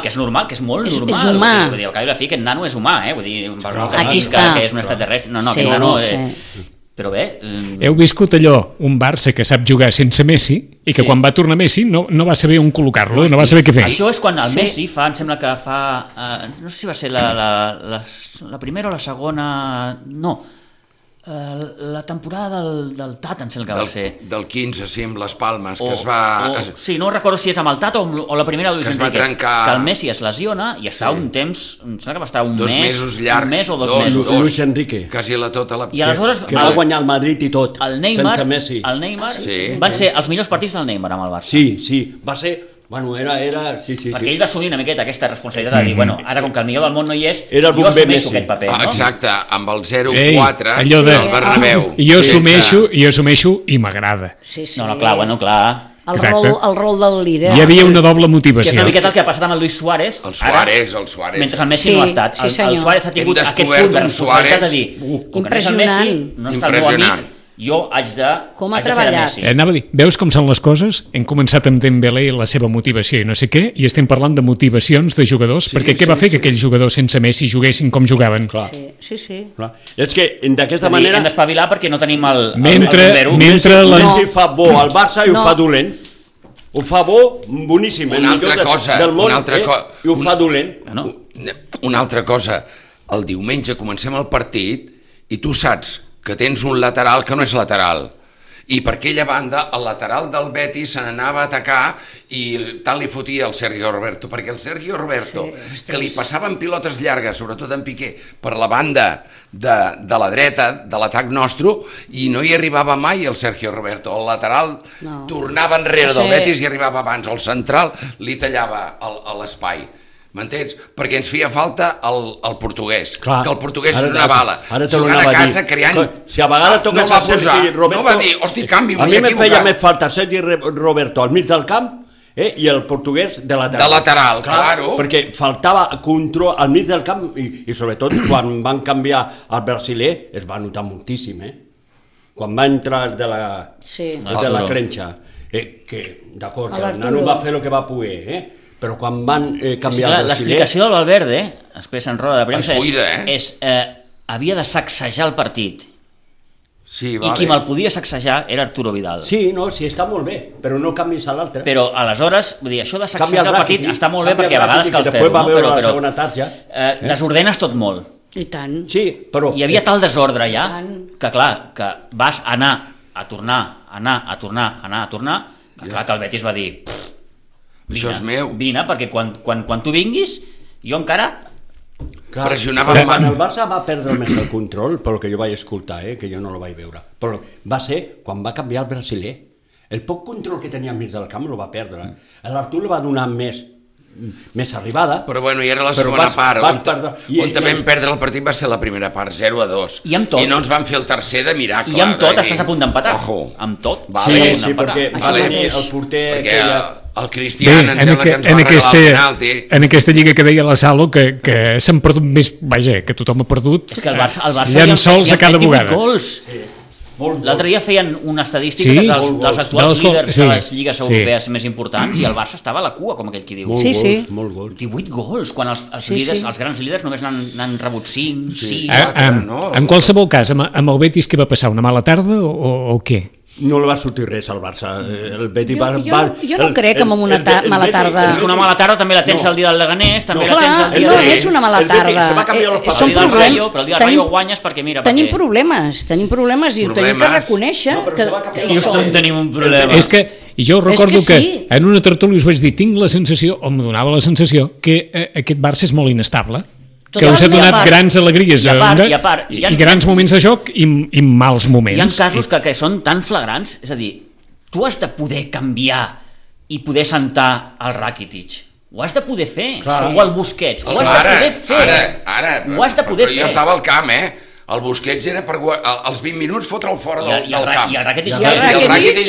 [SPEAKER 3] Que és normal, que és molt
[SPEAKER 4] És
[SPEAKER 3] normal.
[SPEAKER 4] humà.
[SPEAKER 3] Vull dir, al cap i a la fi, aquest nano és humà, Vull dir, per no que
[SPEAKER 4] Aquí
[SPEAKER 3] diguis
[SPEAKER 4] està.
[SPEAKER 3] que és un extraterrestre. No,
[SPEAKER 4] Sí,
[SPEAKER 3] aquest nano...
[SPEAKER 4] sí.
[SPEAKER 3] Però bé...
[SPEAKER 1] Heu viscut allò, un Barça que sap jugar sense Messi i que
[SPEAKER 3] Sí.
[SPEAKER 1] quan va tornar Messi no va saber on col·locar-lo, no va saber què fer.
[SPEAKER 3] Això és quan el
[SPEAKER 4] Sí.
[SPEAKER 3] Messi fa, em sembla que fa... no sé si va ser la primera o la segona... No, la temporada del Tat, em sembla que va ser.
[SPEAKER 5] Del 15, sí, amb les Palmes, que es va...
[SPEAKER 3] Sí, no recordo si és amb el Tat o la primera de Luis
[SPEAKER 5] Que es va
[SPEAKER 3] Enrique,
[SPEAKER 5] trencar.
[SPEAKER 3] que el Messi es lesiona i està un temps, em sembla que va estar un
[SPEAKER 5] Dos
[SPEAKER 3] mes,
[SPEAKER 5] mesos llargs.
[SPEAKER 3] un mes o dos
[SPEAKER 5] Dos.
[SPEAKER 3] mesos.
[SPEAKER 6] Luis Enrique.
[SPEAKER 5] Quasi tota la...
[SPEAKER 3] I aleshores
[SPEAKER 6] Que va guanyar el Madrid i tot,
[SPEAKER 3] el Neymar,
[SPEAKER 6] sense Messi.
[SPEAKER 3] el Neymar
[SPEAKER 5] Sí.
[SPEAKER 3] van ser els millors partits del Neymar amb el Barça.
[SPEAKER 6] Sí, va ser Bueno, era... Sí.
[SPEAKER 3] Perquè ell va assumir una miqueta aquesta responsabilitat de dir, bueno, ara com que el millor del món no hi és,
[SPEAKER 6] Era el
[SPEAKER 3] jo
[SPEAKER 6] bomber
[SPEAKER 3] assumeixo
[SPEAKER 6] Messi.
[SPEAKER 3] aquest paper, no?
[SPEAKER 5] Exacte, amb el
[SPEAKER 1] Ei,
[SPEAKER 5] 0-4
[SPEAKER 1] allò de-
[SPEAKER 5] del Bernabéu.
[SPEAKER 1] I jo assumeixo i m'agrada.
[SPEAKER 4] Sí.
[SPEAKER 3] No, clar.
[SPEAKER 4] El
[SPEAKER 1] Exacte.
[SPEAKER 4] rol del líder.
[SPEAKER 1] Hi havia una doble
[SPEAKER 3] Que és
[SPEAKER 1] motivació.
[SPEAKER 3] una miqueta el que ha passat amb el Luis Suárez.
[SPEAKER 5] El Suárez.
[SPEAKER 3] Mentre el Messi
[SPEAKER 4] Sí,
[SPEAKER 3] no ha estat.
[SPEAKER 4] sí,
[SPEAKER 3] El
[SPEAKER 4] senyor.
[SPEAKER 3] Suárez ha tingut
[SPEAKER 5] Hem
[SPEAKER 3] aquest
[SPEAKER 5] descobert
[SPEAKER 3] punt de
[SPEAKER 5] un
[SPEAKER 3] responsabilitat de
[SPEAKER 5] Suárez.
[SPEAKER 3] dir, com que no és el Messi,
[SPEAKER 4] Impressionant.
[SPEAKER 3] no està el meu
[SPEAKER 5] Impressionant.
[SPEAKER 3] amic, jo haig
[SPEAKER 4] Com ha
[SPEAKER 3] de fer de
[SPEAKER 4] treballat.
[SPEAKER 3] Messi.
[SPEAKER 1] Anava a dir, veus com són les coses? Hem començat amb Dembélé i la seva motivació i no sé què, i estem parlant de motivacions de jugadors, perquè què va fer que aquells jugadors sense Messi juguessin com jugaven?
[SPEAKER 6] Clar.
[SPEAKER 4] Sí.
[SPEAKER 6] Clar. És que d'aquesta
[SPEAKER 3] És a dir,
[SPEAKER 6] manera...
[SPEAKER 3] hem d'espavilar perquè no tenim el
[SPEAKER 1] Mentre
[SPEAKER 6] Messi
[SPEAKER 1] la...
[SPEAKER 6] fa bo al Barça i
[SPEAKER 4] No.
[SPEAKER 6] ho fa dolent. Ho fa bo, boníssim. el
[SPEAKER 5] Una altra
[SPEAKER 6] millor
[SPEAKER 5] cosa,
[SPEAKER 6] del món,
[SPEAKER 5] una altra
[SPEAKER 6] i ho fa dolent.
[SPEAKER 3] No?
[SPEAKER 5] Una altra cosa, el diumenge comencem el partit i tu saps que tens un lateral que no és lateral. I per aquella banda, el lateral del Betis se n'anava a atacar i tant li fotia el Sergio Roberto, perquè el Sergio Roberto, que li passaven pilotes llargues, sobretot en Piqué, per la banda de la dreta, de l'atac nostre, i no hi arribava mai el Sergio Roberto. El lateral tornava enrere del Betis i arribava abans. El central li tallava l'espai. M'entens? Perquè ens feia falta el portuguès,
[SPEAKER 6] Clar.
[SPEAKER 5] que el portuguès
[SPEAKER 6] Ara-
[SPEAKER 5] és una bala.
[SPEAKER 6] ara te ho
[SPEAKER 5] Jugant a
[SPEAKER 6] anava a
[SPEAKER 5] casa,
[SPEAKER 6] dir.
[SPEAKER 5] creant...
[SPEAKER 6] Si a vegades toques
[SPEAKER 5] no va
[SPEAKER 6] a Sergi
[SPEAKER 5] posar,
[SPEAKER 6] Roberto...
[SPEAKER 5] no va dir, hosti, canvi,
[SPEAKER 6] A mi
[SPEAKER 5] m'he
[SPEAKER 6] me feia
[SPEAKER 5] equivocat.
[SPEAKER 6] més falta Sergi Roberto al mig del camp i el portuguès de lateral.
[SPEAKER 5] De lateral, claro.
[SPEAKER 6] Perquè faltava control al mig del camp i sobretot quan van canviar al brasiler es va notar moltíssim, Quan va entrar de la,
[SPEAKER 4] Sí.
[SPEAKER 6] de la crenxa. Que, d'acord,
[SPEAKER 4] A
[SPEAKER 6] que el
[SPEAKER 4] l'Arturo.
[SPEAKER 6] nano va fer el que va poder, però quan van canviar el brasiler...
[SPEAKER 3] L'explicació del Valverde, després en roda de premsa,
[SPEAKER 5] Es cuida,
[SPEAKER 3] havia de sacsejar el partit.
[SPEAKER 5] Sí,
[SPEAKER 3] I
[SPEAKER 5] vale.
[SPEAKER 3] qui me'l podia sacsejar era Arturo Vidal.
[SPEAKER 6] Sí, no, sí, està molt bé, però no canvis a l'altre.
[SPEAKER 3] Però aleshores, vull dir, això de
[SPEAKER 6] Canvia
[SPEAKER 3] sacsejar el partit
[SPEAKER 6] Rakitic,
[SPEAKER 3] està molt bé
[SPEAKER 6] canvia
[SPEAKER 3] perquè a vegades
[SPEAKER 6] Rakitic,
[SPEAKER 3] cal
[SPEAKER 6] que
[SPEAKER 3] fer-ho,
[SPEAKER 6] després va
[SPEAKER 3] no?
[SPEAKER 6] veure la
[SPEAKER 3] Però
[SPEAKER 6] segona tarja.
[SPEAKER 3] desordenes tot molt.
[SPEAKER 4] I tant.
[SPEAKER 6] Sí, però...
[SPEAKER 3] Hi havia tal desordre ja
[SPEAKER 4] Tant.
[SPEAKER 3] que clar, que vas anar a tornar, que clar que el Betis va dir
[SPEAKER 5] Això és meu.
[SPEAKER 3] vine, perquè quan tu vinguis jo encara
[SPEAKER 6] Clar,
[SPEAKER 5] pressionava
[SPEAKER 6] però
[SPEAKER 5] amb
[SPEAKER 6] quan
[SPEAKER 5] mà.
[SPEAKER 6] el Barça va perdre més el control, pel que jo vaig escoltar, que jo no el vaig veure, però va ser quan va canviar el brasiler. El poc control que tenia al mig del camp el va perdre. L'Artur li va donar més arribada.
[SPEAKER 5] Però bueno, i era la
[SPEAKER 6] Però
[SPEAKER 5] segona
[SPEAKER 6] vas
[SPEAKER 5] part,
[SPEAKER 6] perdre.
[SPEAKER 5] on vam perdre el partit va ser la primera part, 0-2.
[SPEAKER 3] I amb tot.
[SPEAKER 5] I no ens van fer el tercer de miracle.
[SPEAKER 3] i amb tot
[SPEAKER 5] vull dir,
[SPEAKER 3] estàs a punt d'empatar.
[SPEAKER 5] Ojo.
[SPEAKER 3] Amb tot
[SPEAKER 5] Vale.
[SPEAKER 3] estàs a
[SPEAKER 6] Sí,
[SPEAKER 3] punt
[SPEAKER 6] sí,
[SPEAKER 3] d'empatar.
[SPEAKER 6] perquè
[SPEAKER 4] Això mateix.
[SPEAKER 6] el porter...
[SPEAKER 5] Perquè
[SPEAKER 6] que
[SPEAKER 5] el
[SPEAKER 1] Bé,
[SPEAKER 5] Cristian em sembla que ens va regalar el penalti.
[SPEAKER 1] en aquesta lliga que deia la Salo que s'han perdut més, vaja, que tothom ha perdut
[SPEAKER 3] És que el Barça
[SPEAKER 1] llençols a cada
[SPEAKER 3] hi han fet 18
[SPEAKER 1] vegada.
[SPEAKER 3] gols. L'altre dia feien una estadística
[SPEAKER 1] Sí?
[SPEAKER 3] dels actuals
[SPEAKER 1] Dels gols,
[SPEAKER 3] líders
[SPEAKER 1] sí.
[SPEAKER 3] de les lligues
[SPEAKER 1] Sí.
[SPEAKER 3] europees més importants i el Barça estava a la cua, com aquell qui diu.
[SPEAKER 6] Molt
[SPEAKER 4] Sí, sí.
[SPEAKER 6] gols, molt gols.
[SPEAKER 3] 18 gols, quan els
[SPEAKER 4] Sí,
[SPEAKER 3] líders,
[SPEAKER 4] sí.
[SPEAKER 3] els grans líders només n'han rebut 5, 6...
[SPEAKER 5] no?
[SPEAKER 1] En qualsevol cas, amb el Betis què va passar? Una mala tarda o què?
[SPEAKER 6] No li va sortir res al Barça. El Betis
[SPEAKER 4] Jo no crec que amb una mala tarda-
[SPEAKER 3] És que una mala tarda també la tens el dia del Leganés, també la tens
[SPEAKER 4] Clar,
[SPEAKER 3] el dia
[SPEAKER 4] no
[SPEAKER 3] de...
[SPEAKER 4] és una mala
[SPEAKER 6] el Betis
[SPEAKER 4] tarda.
[SPEAKER 6] se va canviar los
[SPEAKER 3] Però
[SPEAKER 4] Són
[SPEAKER 3] el dia del
[SPEAKER 4] problemes.
[SPEAKER 3] Rayo, però el dia del Rayo guanyes perquè mira...
[SPEAKER 4] Tenim
[SPEAKER 3] perquè...
[SPEAKER 4] tenim problemes i ho tenim que
[SPEAKER 5] Problemes.
[SPEAKER 4] reconèixer.
[SPEAKER 6] No, però se va canviar
[SPEAKER 4] que
[SPEAKER 3] Houston tenim un problema.
[SPEAKER 1] És que jo recordo
[SPEAKER 4] És que sí.
[SPEAKER 1] en una tertúlia us vaig dir, tinc la sensació, o em donava la sensació, que aquest Barça és molt inestable, que us ha
[SPEAKER 3] Totalment.
[SPEAKER 1] donat
[SPEAKER 3] I a part-
[SPEAKER 1] grans alegries
[SPEAKER 3] i a part,
[SPEAKER 1] i grans moments de joc i mals
[SPEAKER 3] Hi ha
[SPEAKER 1] moments.
[SPEAKER 3] casos que són tan flagrants, és a dir, tu has de poder canviar i poder sentar el Rakitic. Ho has de poder fer. O el Busquets. Ho has de poder fer.
[SPEAKER 5] Ara,
[SPEAKER 3] Ho has de poder
[SPEAKER 5] però
[SPEAKER 3] fer.
[SPEAKER 5] jo estava al camp, El Busquets era per als 20 minuts fotre'l fora del camp.
[SPEAKER 3] I el Rakitic...
[SPEAKER 4] I el Rakitic
[SPEAKER 5] Rakitic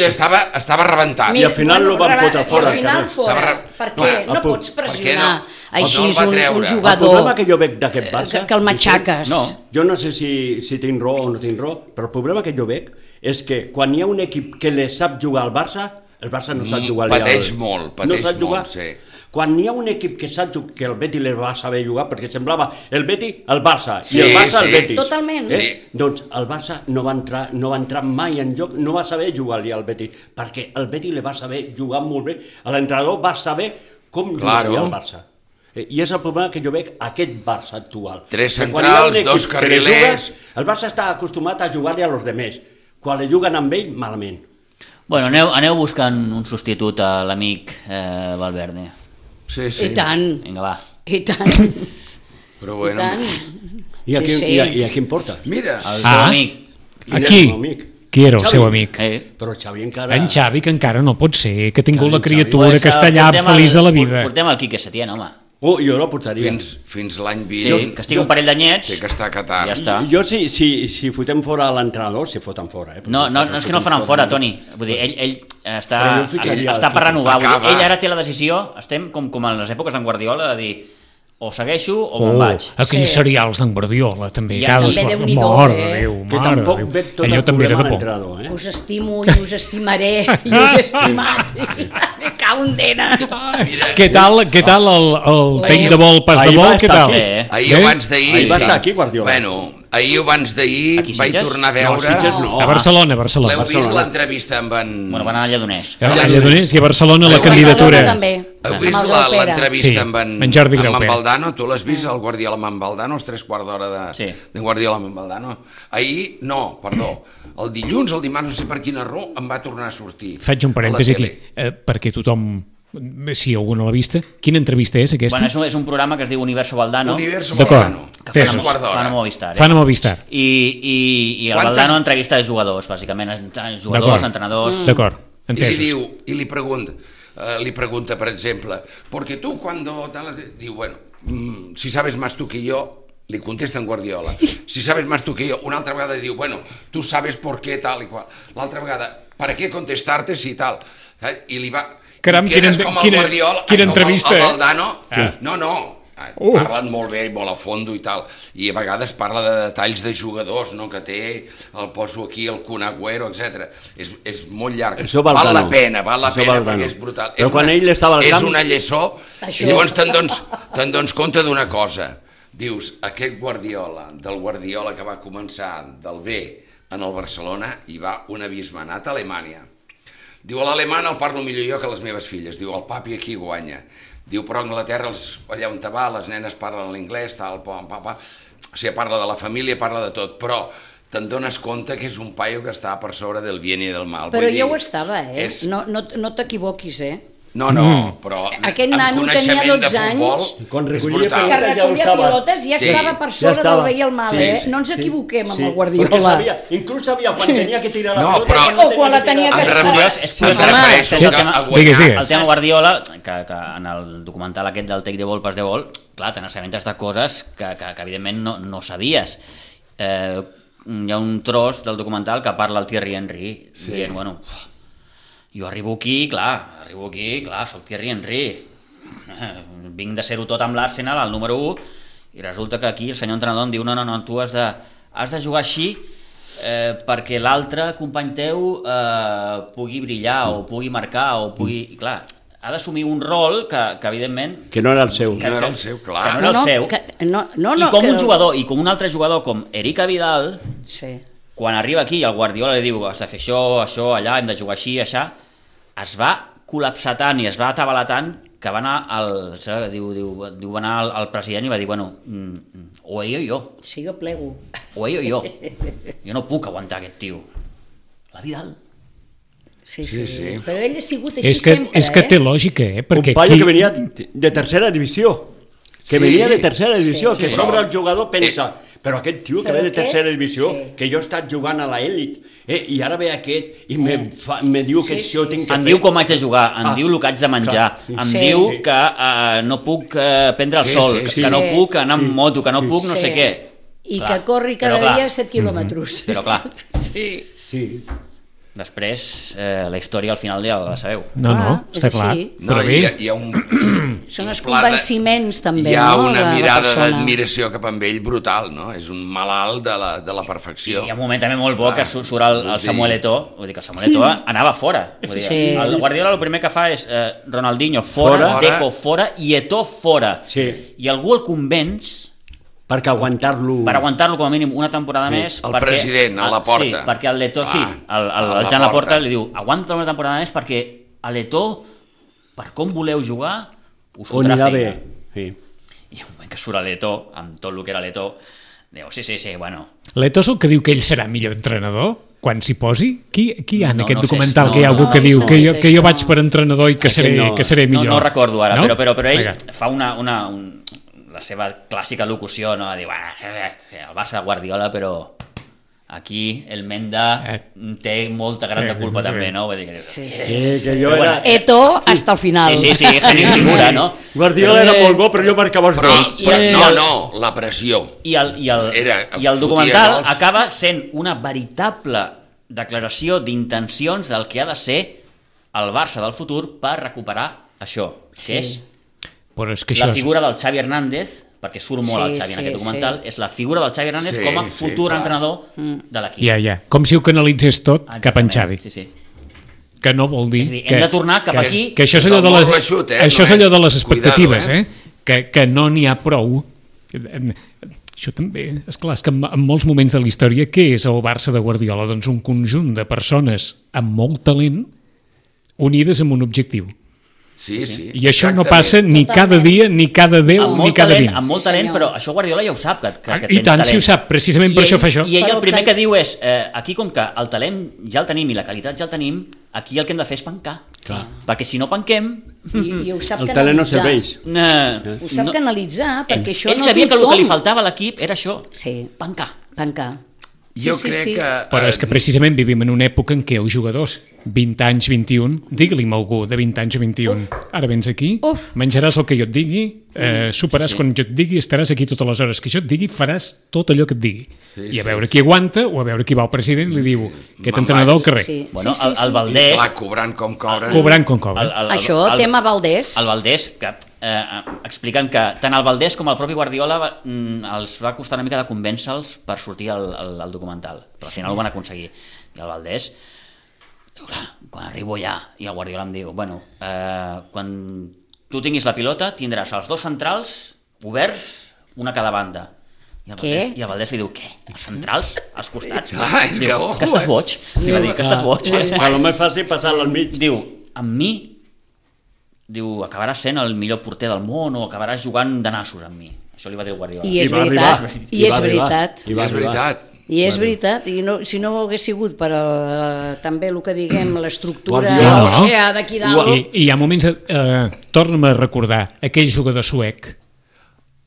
[SPEAKER 5] estava rebentat.
[SPEAKER 6] I al final lo van fotre fora,
[SPEAKER 4] I al final
[SPEAKER 6] carrer.
[SPEAKER 4] fora, perquè no pots pressionar així
[SPEAKER 5] no el va
[SPEAKER 4] un
[SPEAKER 5] treure.
[SPEAKER 6] El
[SPEAKER 4] jugador
[SPEAKER 6] problema que jo veig d'aquest Barça...
[SPEAKER 4] que el matxaques.
[SPEAKER 3] No.
[SPEAKER 6] Jo no sé si tinc raó o no tinc raó, però el problema que jo veig és que quan hi ha un equip que le sap jugar al Barça, el Barça no sap jugar
[SPEAKER 5] pateix molt, pateix
[SPEAKER 6] no sap jugar.
[SPEAKER 5] molt, sí.
[SPEAKER 6] Quan hi ha un equip que sap jugar, que el Betis le va saber jugar, perquè semblava el Betis el Barça
[SPEAKER 5] Sí,
[SPEAKER 6] i el Barça el
[SPEAKER 5] sí.
[SPEAKER 6] Betis.
[SPEAKER 4] Totalment.
[SPEAKER 5] Sí.
[SPEAKER 6] Doncs el Barça no va entrar mai en joc, no va saber jugar-li al Betis, perquè el Betis le va saber jugar molt bé, l'entrenador va saber com
[SPEAKER 5] Claro.
[SPEAKER 6] jugar al Barça. I és el problema que jo veig aquest Barça actual.
[SPEAKER 5] Tres
[SPEAKER 6] Que quan hi ha un
[SPEAKER 5] centrals,
[SPEAKER 6] equip
[SPEAKER 5] dos
[SPEAKER 6] que le
[SPEAKER 5] carrilers.
[SPEAKER 6] jugues, el Barça està acostumat a jugar-li a los demés. Quan le juguen amb ell, malament.
[SPEAKER 3] Bueno, aneu buscant un substitut a l'amic Valverde.
[SPEAKER 5] Sí, sí.
[SPEAKER 4] I tant,
[SPEAKER 3] Vinga, va.
[SPEAKER 4] i tant,
[SPEAKER 5] Però
[SPEAKER 4] i
[SPEAKER 5] bueno,
[SPEAKER 4] tant.
[SPEAKER 6] I a,
[SPEAKER 4] Sí,
[SPEAKER 6] qui,
[SPEAKER 4] sí.
[SPEAKER 6] i a qui importa?
[SPEAKER 5] mira,
[SPEAKER 3] El teu amic.
[SPEAKER 6] Quin és
[SPEAKER 1] Aquí.
[SPEAKER 6] el meu amic?
[SPEAKER 1] qui era el seu amic.
[SPEAKER 6] Però Xavi encara...
[SPEAKER 1] En Xavi, que encara no pot ser, que ha tingut la
[SPEAKER 6] Xavi.
[SPEAKER 1] criatura que està allà feliç de la vida.
[SPEAKER 3] Portem el Quique Setién, home.
[SPEAKER 6] Jo la portaria.
[SPEAKER 5] Fins l'any
[SPEAKER 3] Sí,
[SPEAKER 5] vinent
[SPEAKER 3] que estigui un parell d'anyets.
[SPEAKER 5] té que estar a Qatar.
[SPEAKER 3] Ja està.
[SPEAKER 6] Jo, si fotem fora l'entrenador, si foten fora.
[SPEAKER 3] No, és que no el faran fora, Toni. Vull dir, ell està
[SPEAKER 6] Però
[SPEAKER 3] per renovar. Vull dir,
[SPEAKER 5] Acaba.
[SPEAKER 3] ell ara té la decisió, estem com en les èpoques d'en Guardiola, de dir, o segueixo o me'n vaig.
[SPEAKER 1] Aquells serials d'en Guardiola, també.
[SPEAKER 3] Ja,
[SPEAKER 1] cada
[SPEAKER 4] també
[SPEAKER 1] sort.
[SPEAKER 4] Déu-n'hi-do,
[SPEAKER 1] Mare de
[SPEAKER 4] eh?
[SPEAKER 1] Déu,
[SPEAKER 6] Que
[SPEAKER 1] mare de
[SPEAKER 6] tampoc
[SPEAKER 1] Déu.
[SPEAKER 6] veig tot
[SPEAKER 1] Allò
[SPEAKER 6] el
[SPEAKER 1] també era
[SPEAKER 6] problema
[SPEAKER 1] de por.
[SPEAKER 6] l'entrenador, eh?
[SPEAKER 4] Us estimo i us estimaré i us he estimat. Me cau un dena.
[SPEAKER 1] Què tal el tec de vol, pas de
[SPEAKER 6] Ahir
[SPEAKER 1] vol,
[SPEAKER 6] va
[SPEAKER 1] què
[SPEAKER 6] estar
[SPEAKER 1] tal?
[SPEAKER 6] aquí,
[SPEAKER 5] Ahir
[SPEAKER 1] Bé?
[SPEAKER 5] abans d'ahir...
[SPEAKER 6] Ahir va estar aquí, Guardiola.
[SPEAKER 5] Bueno, ahir abans d'ahir
[SPEAKER 3] Aquí,
[SPEAKER 5] vaig
[SPEAKER 3] Sitges?
[SPEAKER 5] tornar a
[SPEAKER 6] No,
[SPEAKER 5] veure...
[SPEAKER 6] Sitges no.
[SPEAKER 1] A Barcelona.
[SPEAKER 5] L'heu vist
[SPEAKER 6] Barcelona.
[SPEAKER 5] l'entrevista amb en...
[SPEAKER 3] Bueno, van anar a Lledoners.
[SPEAKER 1] A Lledoners i a Barcelona la
[SPEAKER 5] Heu
[SPEAKER 1] candidatura.
[SPEAKER 4] també.
[SPEAKER 5] Heu
[SPEAKER 4] Amb
[SPEAKER 5] vist
[SPEAKER 4] el Graupera.
[SPEAKER 5] l'entrevista
[SPEAKER 1] Sí,
[SPEAKER 5] amb
[SPEAKER 1] en Jordi
[SPEAKER 5] amb
[SPEAKER 1] Graupera.
[SPEAKER 5] Valdano? Tu l'has vist, el Guardiola amb en Valdano, els 3/4 d'hora
[SPEAKER 3] Sí.
[SPEAKER 5] de Guardiola amb en Valdano? Ahir, no, perdó, el dilluns, el dimarts, no sé per quina raó, em va tornar a sortir.
[SPEAKER 1] Faig un
[SPEAKER 5] a la
[SPEAKER 1] parèntesi aquí,
[SPEAKER 5] tele.
[SPEAKER 1] perquè tothom, si algú no l'ha vista, quina entrevista és aquesta?
[SPEAKER 3] Bueno, és un programa que es diu Universo Valdano,
[SPEAKER 5] Universo
[SPEAKER 1] D'acord.
[SPEAKER 5] Valdano,
[SPEAKER 3] que
[SPEAKER 1] Tesos.
[SPEAKER 3] fan,
[SPEAKER 5] 3/4
[SPEAKER 3] fan a
[SPEAKER 5] d'hora.
[SPEAKER 3] Movistar.
[SPEAKER 1] Fan a Movistar.
[SPEAKER 3] I el
[SPEAKER 5] Quantes-
[SPEAKER 3] Valdano entrevista jugadors, bàsicament, jugadors,
[SPEAKER 1] D'acord.
[SPEAKER 3] entrenadors...
[SPEAKER 1] D'acord,
[SPEAKER 5] I li
[SPEAKER 1] entesos.
[SPEAKER 5] diu, i li pregunta, per exemple, porque tú cuando... Diu, bueno, si sabes más tú que yo, li contesta en Guardiola, si sabes más tú que yo, una altra vegada diu, bueno, tú sabes por qué tal i qual, l'altra vegada, ¿para qué contestarte si tal? I li va...
[SPEAKER 1] Caram,
[SPEAKER 5] i quedes com el
[SPEAKER 1] quina
[SPEAKER 5] com
[SPEAKER 1] entrevista,
[SPEAKER 5] el
[SPEAKER 1] eh?
[SPEAKER 5] Valdano,
[SPEAKER 1] Ah.
[SPEAKER 5] no, parlen molt bé i molt a fondo i tal, i a vegades parla de detalls de jugadors, no, que té, el poso aquí, el Kun Agüero, etc. És molt llarg.
[SPEAKER 6] Això
[SPEAKER 5] Val
[SPEAKER 6] Valdano.
[SPEAKER 5] la pena
[SPEAKER 6] Això
[SPEAKER 5] perquè
[SPEAKER 6] Valdano.
[SPEAKER 5] és brutal.
[SPEAKER 6] Però quan ell estava al
[SPEAKER 5] és
[SPEAKER 6] camp-
[SPEAKER 5] una lliçó,
[SPEAKER 4] Això.
[SPEAKER 5] i llavors te'n dones compte d'una cosa. Dius, aquest Guardiola, del Guardiola que va començar del B en el Barcelona, i va un abisme, ha anat a Alemanya. Diu, a l'alemany el parlo millor jo que les meves filles. Diu, el papi aquí guanya. Diu, però a Anglaterra, allà on te va, les nenes parlen l'inglès, tal, o sigui, parla de la família, parla de tot, però te'n dones compte que és un paio que està per sobre del bien i del mal.
[SPEAKER 4] Però
[SPEAKER 5] Vull dir,
[SPEAKER 4] jo ho estava, eh?
[SPEAKER 5] és-
[SPEAKER 4] No t'equivoquis, eh?
[SPEAKER 5] No, però
[SPEAKER 4] Aquest
[SPEAKER 5] amb
[SPEAKER 4] nano tenia
[SPEAKER 5] coneixement de
[SPEAKER 4] 12
[SPEAKER 5] futbol
[SPEAKER 4] anys.
[SPEAKER 6] Quan
[SPEAKER 5] és
[SPEAKER 6] recollia
[SPEAKER 5] brutal.
[SPEAKER 4] Que
[SPEAKER 6] Ja
[SPEAKER 4] recollia
[SPEAKER 6] estava.
[SPEAKER 4] pilotes ja
[SPEAKER 5] Sí,
[SPEAKER 4] estava per
[SPEAKER 6] ja
[SPEAKER 4] sobre del
[SPEAKER 6] estava.
[SPEAKER 4] bé i el mal,
[SPEAKER 5] Sí,
[SPEAKER 4] eh?
[SPEAKER 5] sí,
[SPEAKER 4] No ens equivoquem amb el
[SPEAKER 6] Perquè
[SPEAKER 4] Guardiola.
[SPEAKER 6] sabia, inclús sabia quan tenia que tirar la
[SPEAKER 5] No,
[SPEAKER 6] pelota...
[SPEAKER 5] però-
[SPEAKER 6] quan no
[SPEAKER 4] O quan la tenia que
[SPEAKER 5] Em
[SPEAKER 4] escoltar.
[SPEAKER 5] refereixo-
[SPEAKER 3] És
[SPEAKER 5] em
[SPEAKER 3] curiós,
[SPEAKER 5] refereixo
[SPEAKER 3] home.
[SPEAKER 5] que
[SPEAKER 3] Sí.
[SPEAKER 5] a guanyar...
[SPEAKER 1] Digues.
[SPEAKER 3] El tema Guardiola, que en el documental aquest del Take the Ball, Pass the Ball, clar, te n'assabentes de coses que evidentment no sabies. Hi ha un tros del documental que parla el Thierry Henry, dient, bueno, jo arribo aquí, clar, soc Thierry Henry, vinc de ser-ho tot amb l'Arsenal, el número 1, i resulta que aquí el senyor entrenador em diu, no, tu has de jugar així perquè l'altre company teu pugui brillar o pugui marcar o pugui... Clar, ha d'assumir un rol que evidentment...
[SPEAKER 6] Que no era el seu.
[SPEAKER 5] No era el seu,
[SPEAKER 3] que
[SPEAKER 5] clar.
[SPEAKER 3] no era el seu. I com un jugador, i com un altre jugador com Eric Vidal,
[SPEAKER 4] Sí.
[SPEAKER 3] quan arriba aquí i el Guardiola li diu has de fer això, allà, hem de jugar així, això, es va col·lapsar tant i es va atabalar tant que va anar va anar al president i va dir, bueno, o ell o jo,
[SPEAKER 4] Sí, jo plego.
[SPEAKER 3] o ell o jo. Jo no puc aguantar aquest tio. La Vidal.
[SPEAKER 4] Sí.
[SPEAKER 5] Sí.
[SPEAKER 4] Però ell ha sigut així
[SPEAKER 1] És que,
[SPEAKER 4] sempre,
[SPEAKER 1] és que té lògica,
[SPEAKER 6] Un
[SPEAKER 1] perquè
[SPEAKER 6] paio
[SPEAKER 1] aquí...
[SPEAKER 6] que venia de tercera divisió. Que
[SPEAKER 5] Sí.
[SPEAKER 6] venia de tercera divisió,
[SPEAKER 4] Sí.
[SPEAKER 6] que
[SPEAKER 5] Sí.
[SPEAKER 6] sobre el jugador pensa, però aquest tio que
[SPEAKER 4] Però
[SPEAKER 6] ve de
[SPEAKER 4] aquest,
[SPEAKER 6] tercera divisió,
[SPEAKER 4] sí.
[SPEAKER 6] que jo he estat jugant a l'elit, i ara ve aquest i me diu que
[SPEAKER 4] Sí,
[SPEAKER 6] això
[SPEAKER 4] sí,
[SPEAKER 6] tinc que
[SPEAKER 3] Em
[SPEAKER 6] fer.
[SPEAKER 3] diu com haig de jugar, em diu el que haig de menjar,
[SPEAKER 6] clar.
[SPEAKER 3] em
[SPEAKER 4] Sí.
[SPEAKER 3] diu que no puc prendre el
[SPEAKER 5] Sí,
[SPEAKER 3] sol,
[SPEAKER 5] sí,
[SPEAKER 3] que no
[SPEAKER 4] sí.
[SPEAKER 3] puc anar amb moto, que no puc no
[SPEAKER 4] Sí.
[SPEAKER 3] sé què.
[SPEAKER 4] I
[SPEAKER 3] Clar,
[SPEAKER 4] que corri cada
[SPEAKER 3] però clar,
[SPEAKER 4] dia 7 quilòmetres.
[SPEAKER 3] Però clar,
[SPEAKER 6] Sí.
[SPEAKER 3] després la història al final ja la sabeu.
[SPEAKER 1] No,
[SPEAKER 4] És
[SPEAKER 1] està clar.
[SPEAKER 4] així.
[SPEAKER 5] No,
[SPEAKER 1] Però bé,
[SPEAKER 5] hi ha un...
[SPEAKER 4] Són els
[SPEAKER 5] un pla de-
[SPEAKER 4] convenciments, també,
[SPEAKER 5] Hi ha
[SPEAKER 4] no,
[SPEAKER 5] una
[SPEAKER 4] de la
[SPEAKER 5] mirada
[SPEAKER 4] persona.
[SPEAKER 5] d'admiració cap amb ell brutal, no? És un malalt de la perfecció.
[SPEAKER 3] Hi ha un moment també molt bo que surt el
[SPEAKER 5] vull dir-
[SPEAKER 3] Samuel Eto'o, vull dir que el Samuel Eto'o anava fora. Vull dir,
[SPEAKER 4] Sí.
[SPEAKER 3] el Guardiola el primer que fa és Ronaldinho fora,
[SPEAKER 5] Fora.
[SPEAKER 3] Deco fora i Eto'o fora.
[SPEAKER 6] Sí.
[SPEAKER 3] I algú el convenç
[SPEAKER 6] Perquè aguantar-lo...
[SPEAKER 3] per aguantar-lo com a mínim una temporada més.
[SPEAKER 5] El president, a Laporta.
[SPEAKER 3] Sí, perquè el Leto,
[SPEAKER 5] Clar,
[SPEAKER 3] sí, el
[SPEAKER 5] a
[SPEAKER 3] Jan
[SPEAKER 5] Laporta.
[SPEAKER 3] Laporta li diu aguanta una temporada més perquè a Leto, per com voleu jugar, us
[SPEAKER 6] On
[SPEAKER 3] fotrà
[SPEAKER 6] anirà
[SPEAKER 3] feina.
[SPEAKER 6] bé. Sí.
[SPEAKER 3] I un moment que surt a Leto, amb tot el que era Leto, diu, sí, bueno...
[SPEAKER 1] l'Eto és el que diu que ell serà millor entrenador quan s'hi posi? Qui hi ha en
[SPEAKER 3] No,
[SPEAKER 1] aquest
[SPEAKER 3] no sé,
[SPEAKER 1] documental
[SPEAKER 3] no,
[SPEAKER 1] que hi ha algú
[SPEAKER 3] no,
[SPEAKER 1] que
[SPEAKER 3] no
[SPEAKER 1] diu
[SPEAKER 4] he
[SPEAKER 1] que
[SPEAKER 4] sentit
[SPEAKER 1] jo
[SPEAKER 4] això.
[SPEAKER 1] vaig per entrenador i que seré millor?
[SPEAKER 3] No recordo ara,
[SPEAKER 1] No?
[SPEAKER 3] però ell
[SPEAKER 1] Vinga.
[SPEAKER 3] fa la seva clàssica locució, no? Diu, el Barça de Guardiola, però Aquí el Menda té molta gran de culpa també, no? Vull dir que...
[SPEAKER 4] Sí,
[SPEAKER 6] que jo era...
[SPEAKER 4] Eto hasta el final.
[SPEAKER 3] Sí, genio figura, no?
[SPEAKER 6] Guardiola era molt bo, però jo marcava els gols.
[SPEAKER 5] No, la pressió.
[SPEAKER 3] I el documental acaba sent una veritable declaració d'intencions del que ha de ser el Barça del futur per recuperar això, que és la figura del Xavi Hernández, perquè surt molt el Xavi en aquest documental, és la figura del Xavi Hernández com a futur entrenador de l'equip.
[SPEAKER 1] Ja. Com si ho canalitzés tot cap en Xavi.
[SPEAKER 3] Sí.
[SPEAKER 1] Que no vol dir...
[SPEAKER 3] Hem de tornar cap aquí...
[SPEAKER 1] Que això és allò de les expectatives, que no n'hi ha prou. Això també, esclar, és que en molts moments de la història, què és el Barça de Guardiola? Doncs un conjunt de persones amb molt talent unides amb un objectiu.
[SPEAKER 5] Sí.
[SPEAKER 1] I això no passa ni cada dia, ni cada 10, ni cada 20.
[SPEAKER 3] Amb molt talent, però això Guardiola ja ho sap, que tens
[SPEAKER 1] I tant,
[SPEAKER 3] talent.
[SPEAKER 1] si ho sap, precisament per això fa això.
[SPEAKER 3] I ell el primer que diu és, aquí com que el talent ja el tenim i la qualitat ja el tenim, aquí el que hem de fer és pencar. Perquè si no penquem...
[SPEAKER 4] I ho sap
[SPEAKER 6] el talent no
[SPEAKER 4] canalitzar.
[SPEAKER 6] serveix.
[SPEAKER 4] Ho sap canalitzar, perquè això
[SPEAKER 3] ell sabia que el que li faltava a l'equip era això, pencar.
[SPEAKER 5] Jo crec que...
[SPEAKER 1] Però és que precisament vivim en una època en què els jugadors 20 anys, 21, digue-li'm algú de 20 anys o 21, ara vens aquí, menjaràs el que jo et digui, superaràs quan jo et digui, estaràs aquí totes les hores que jo et digui, faràs tot allò que et digui. I a veure qui aguanta o a veure qui va al president i li diu aquest entrenador al carrer.
[SPEAKER 3] Bueno, el Valdés...
[SPEAKER 5] Clar, cobrant com cobren.
[SPEAKER 1] Cobrant com cobren.
[SPEAKER 4] Això, tema Valdés.
[SPEAKER 3] El Valdés, que expliquen que tant el Valdés com el propi Guardiola els va costar una mica de convèncer-los per sortir al documental, però al final ho van aconseguir. I el Valdés diu, clar, quan arribo allà, i el Guardiola em diu, bueno, quan tu tinguis la pilota tindràs els dos centrals oberts, una a cada banda. I el Valdés li diu, què? Els centrals? Als costats? Diu, que estàs boig? Li va dir, que estàs boig?
[SPEAKER 6] A lo més fàcil passar-lo al mig.
[SPEAKER 3] Diu, amb mi, diu, acabaràs sent el millor porter del món o acabaràs jugant de nassos amb mi. Això li va dir el Guardiola.
[SPEAKER 4] I és veritat. I és veritat.
[SPEAKER 5] I és
[SPEAKER 4] veritat. I si no hagués sigut per també el que diguem, l'estructura d'aquí dalt...
[SPEAKER 1] I hi ha moments... Torna'm a recordar aquell jugador suec.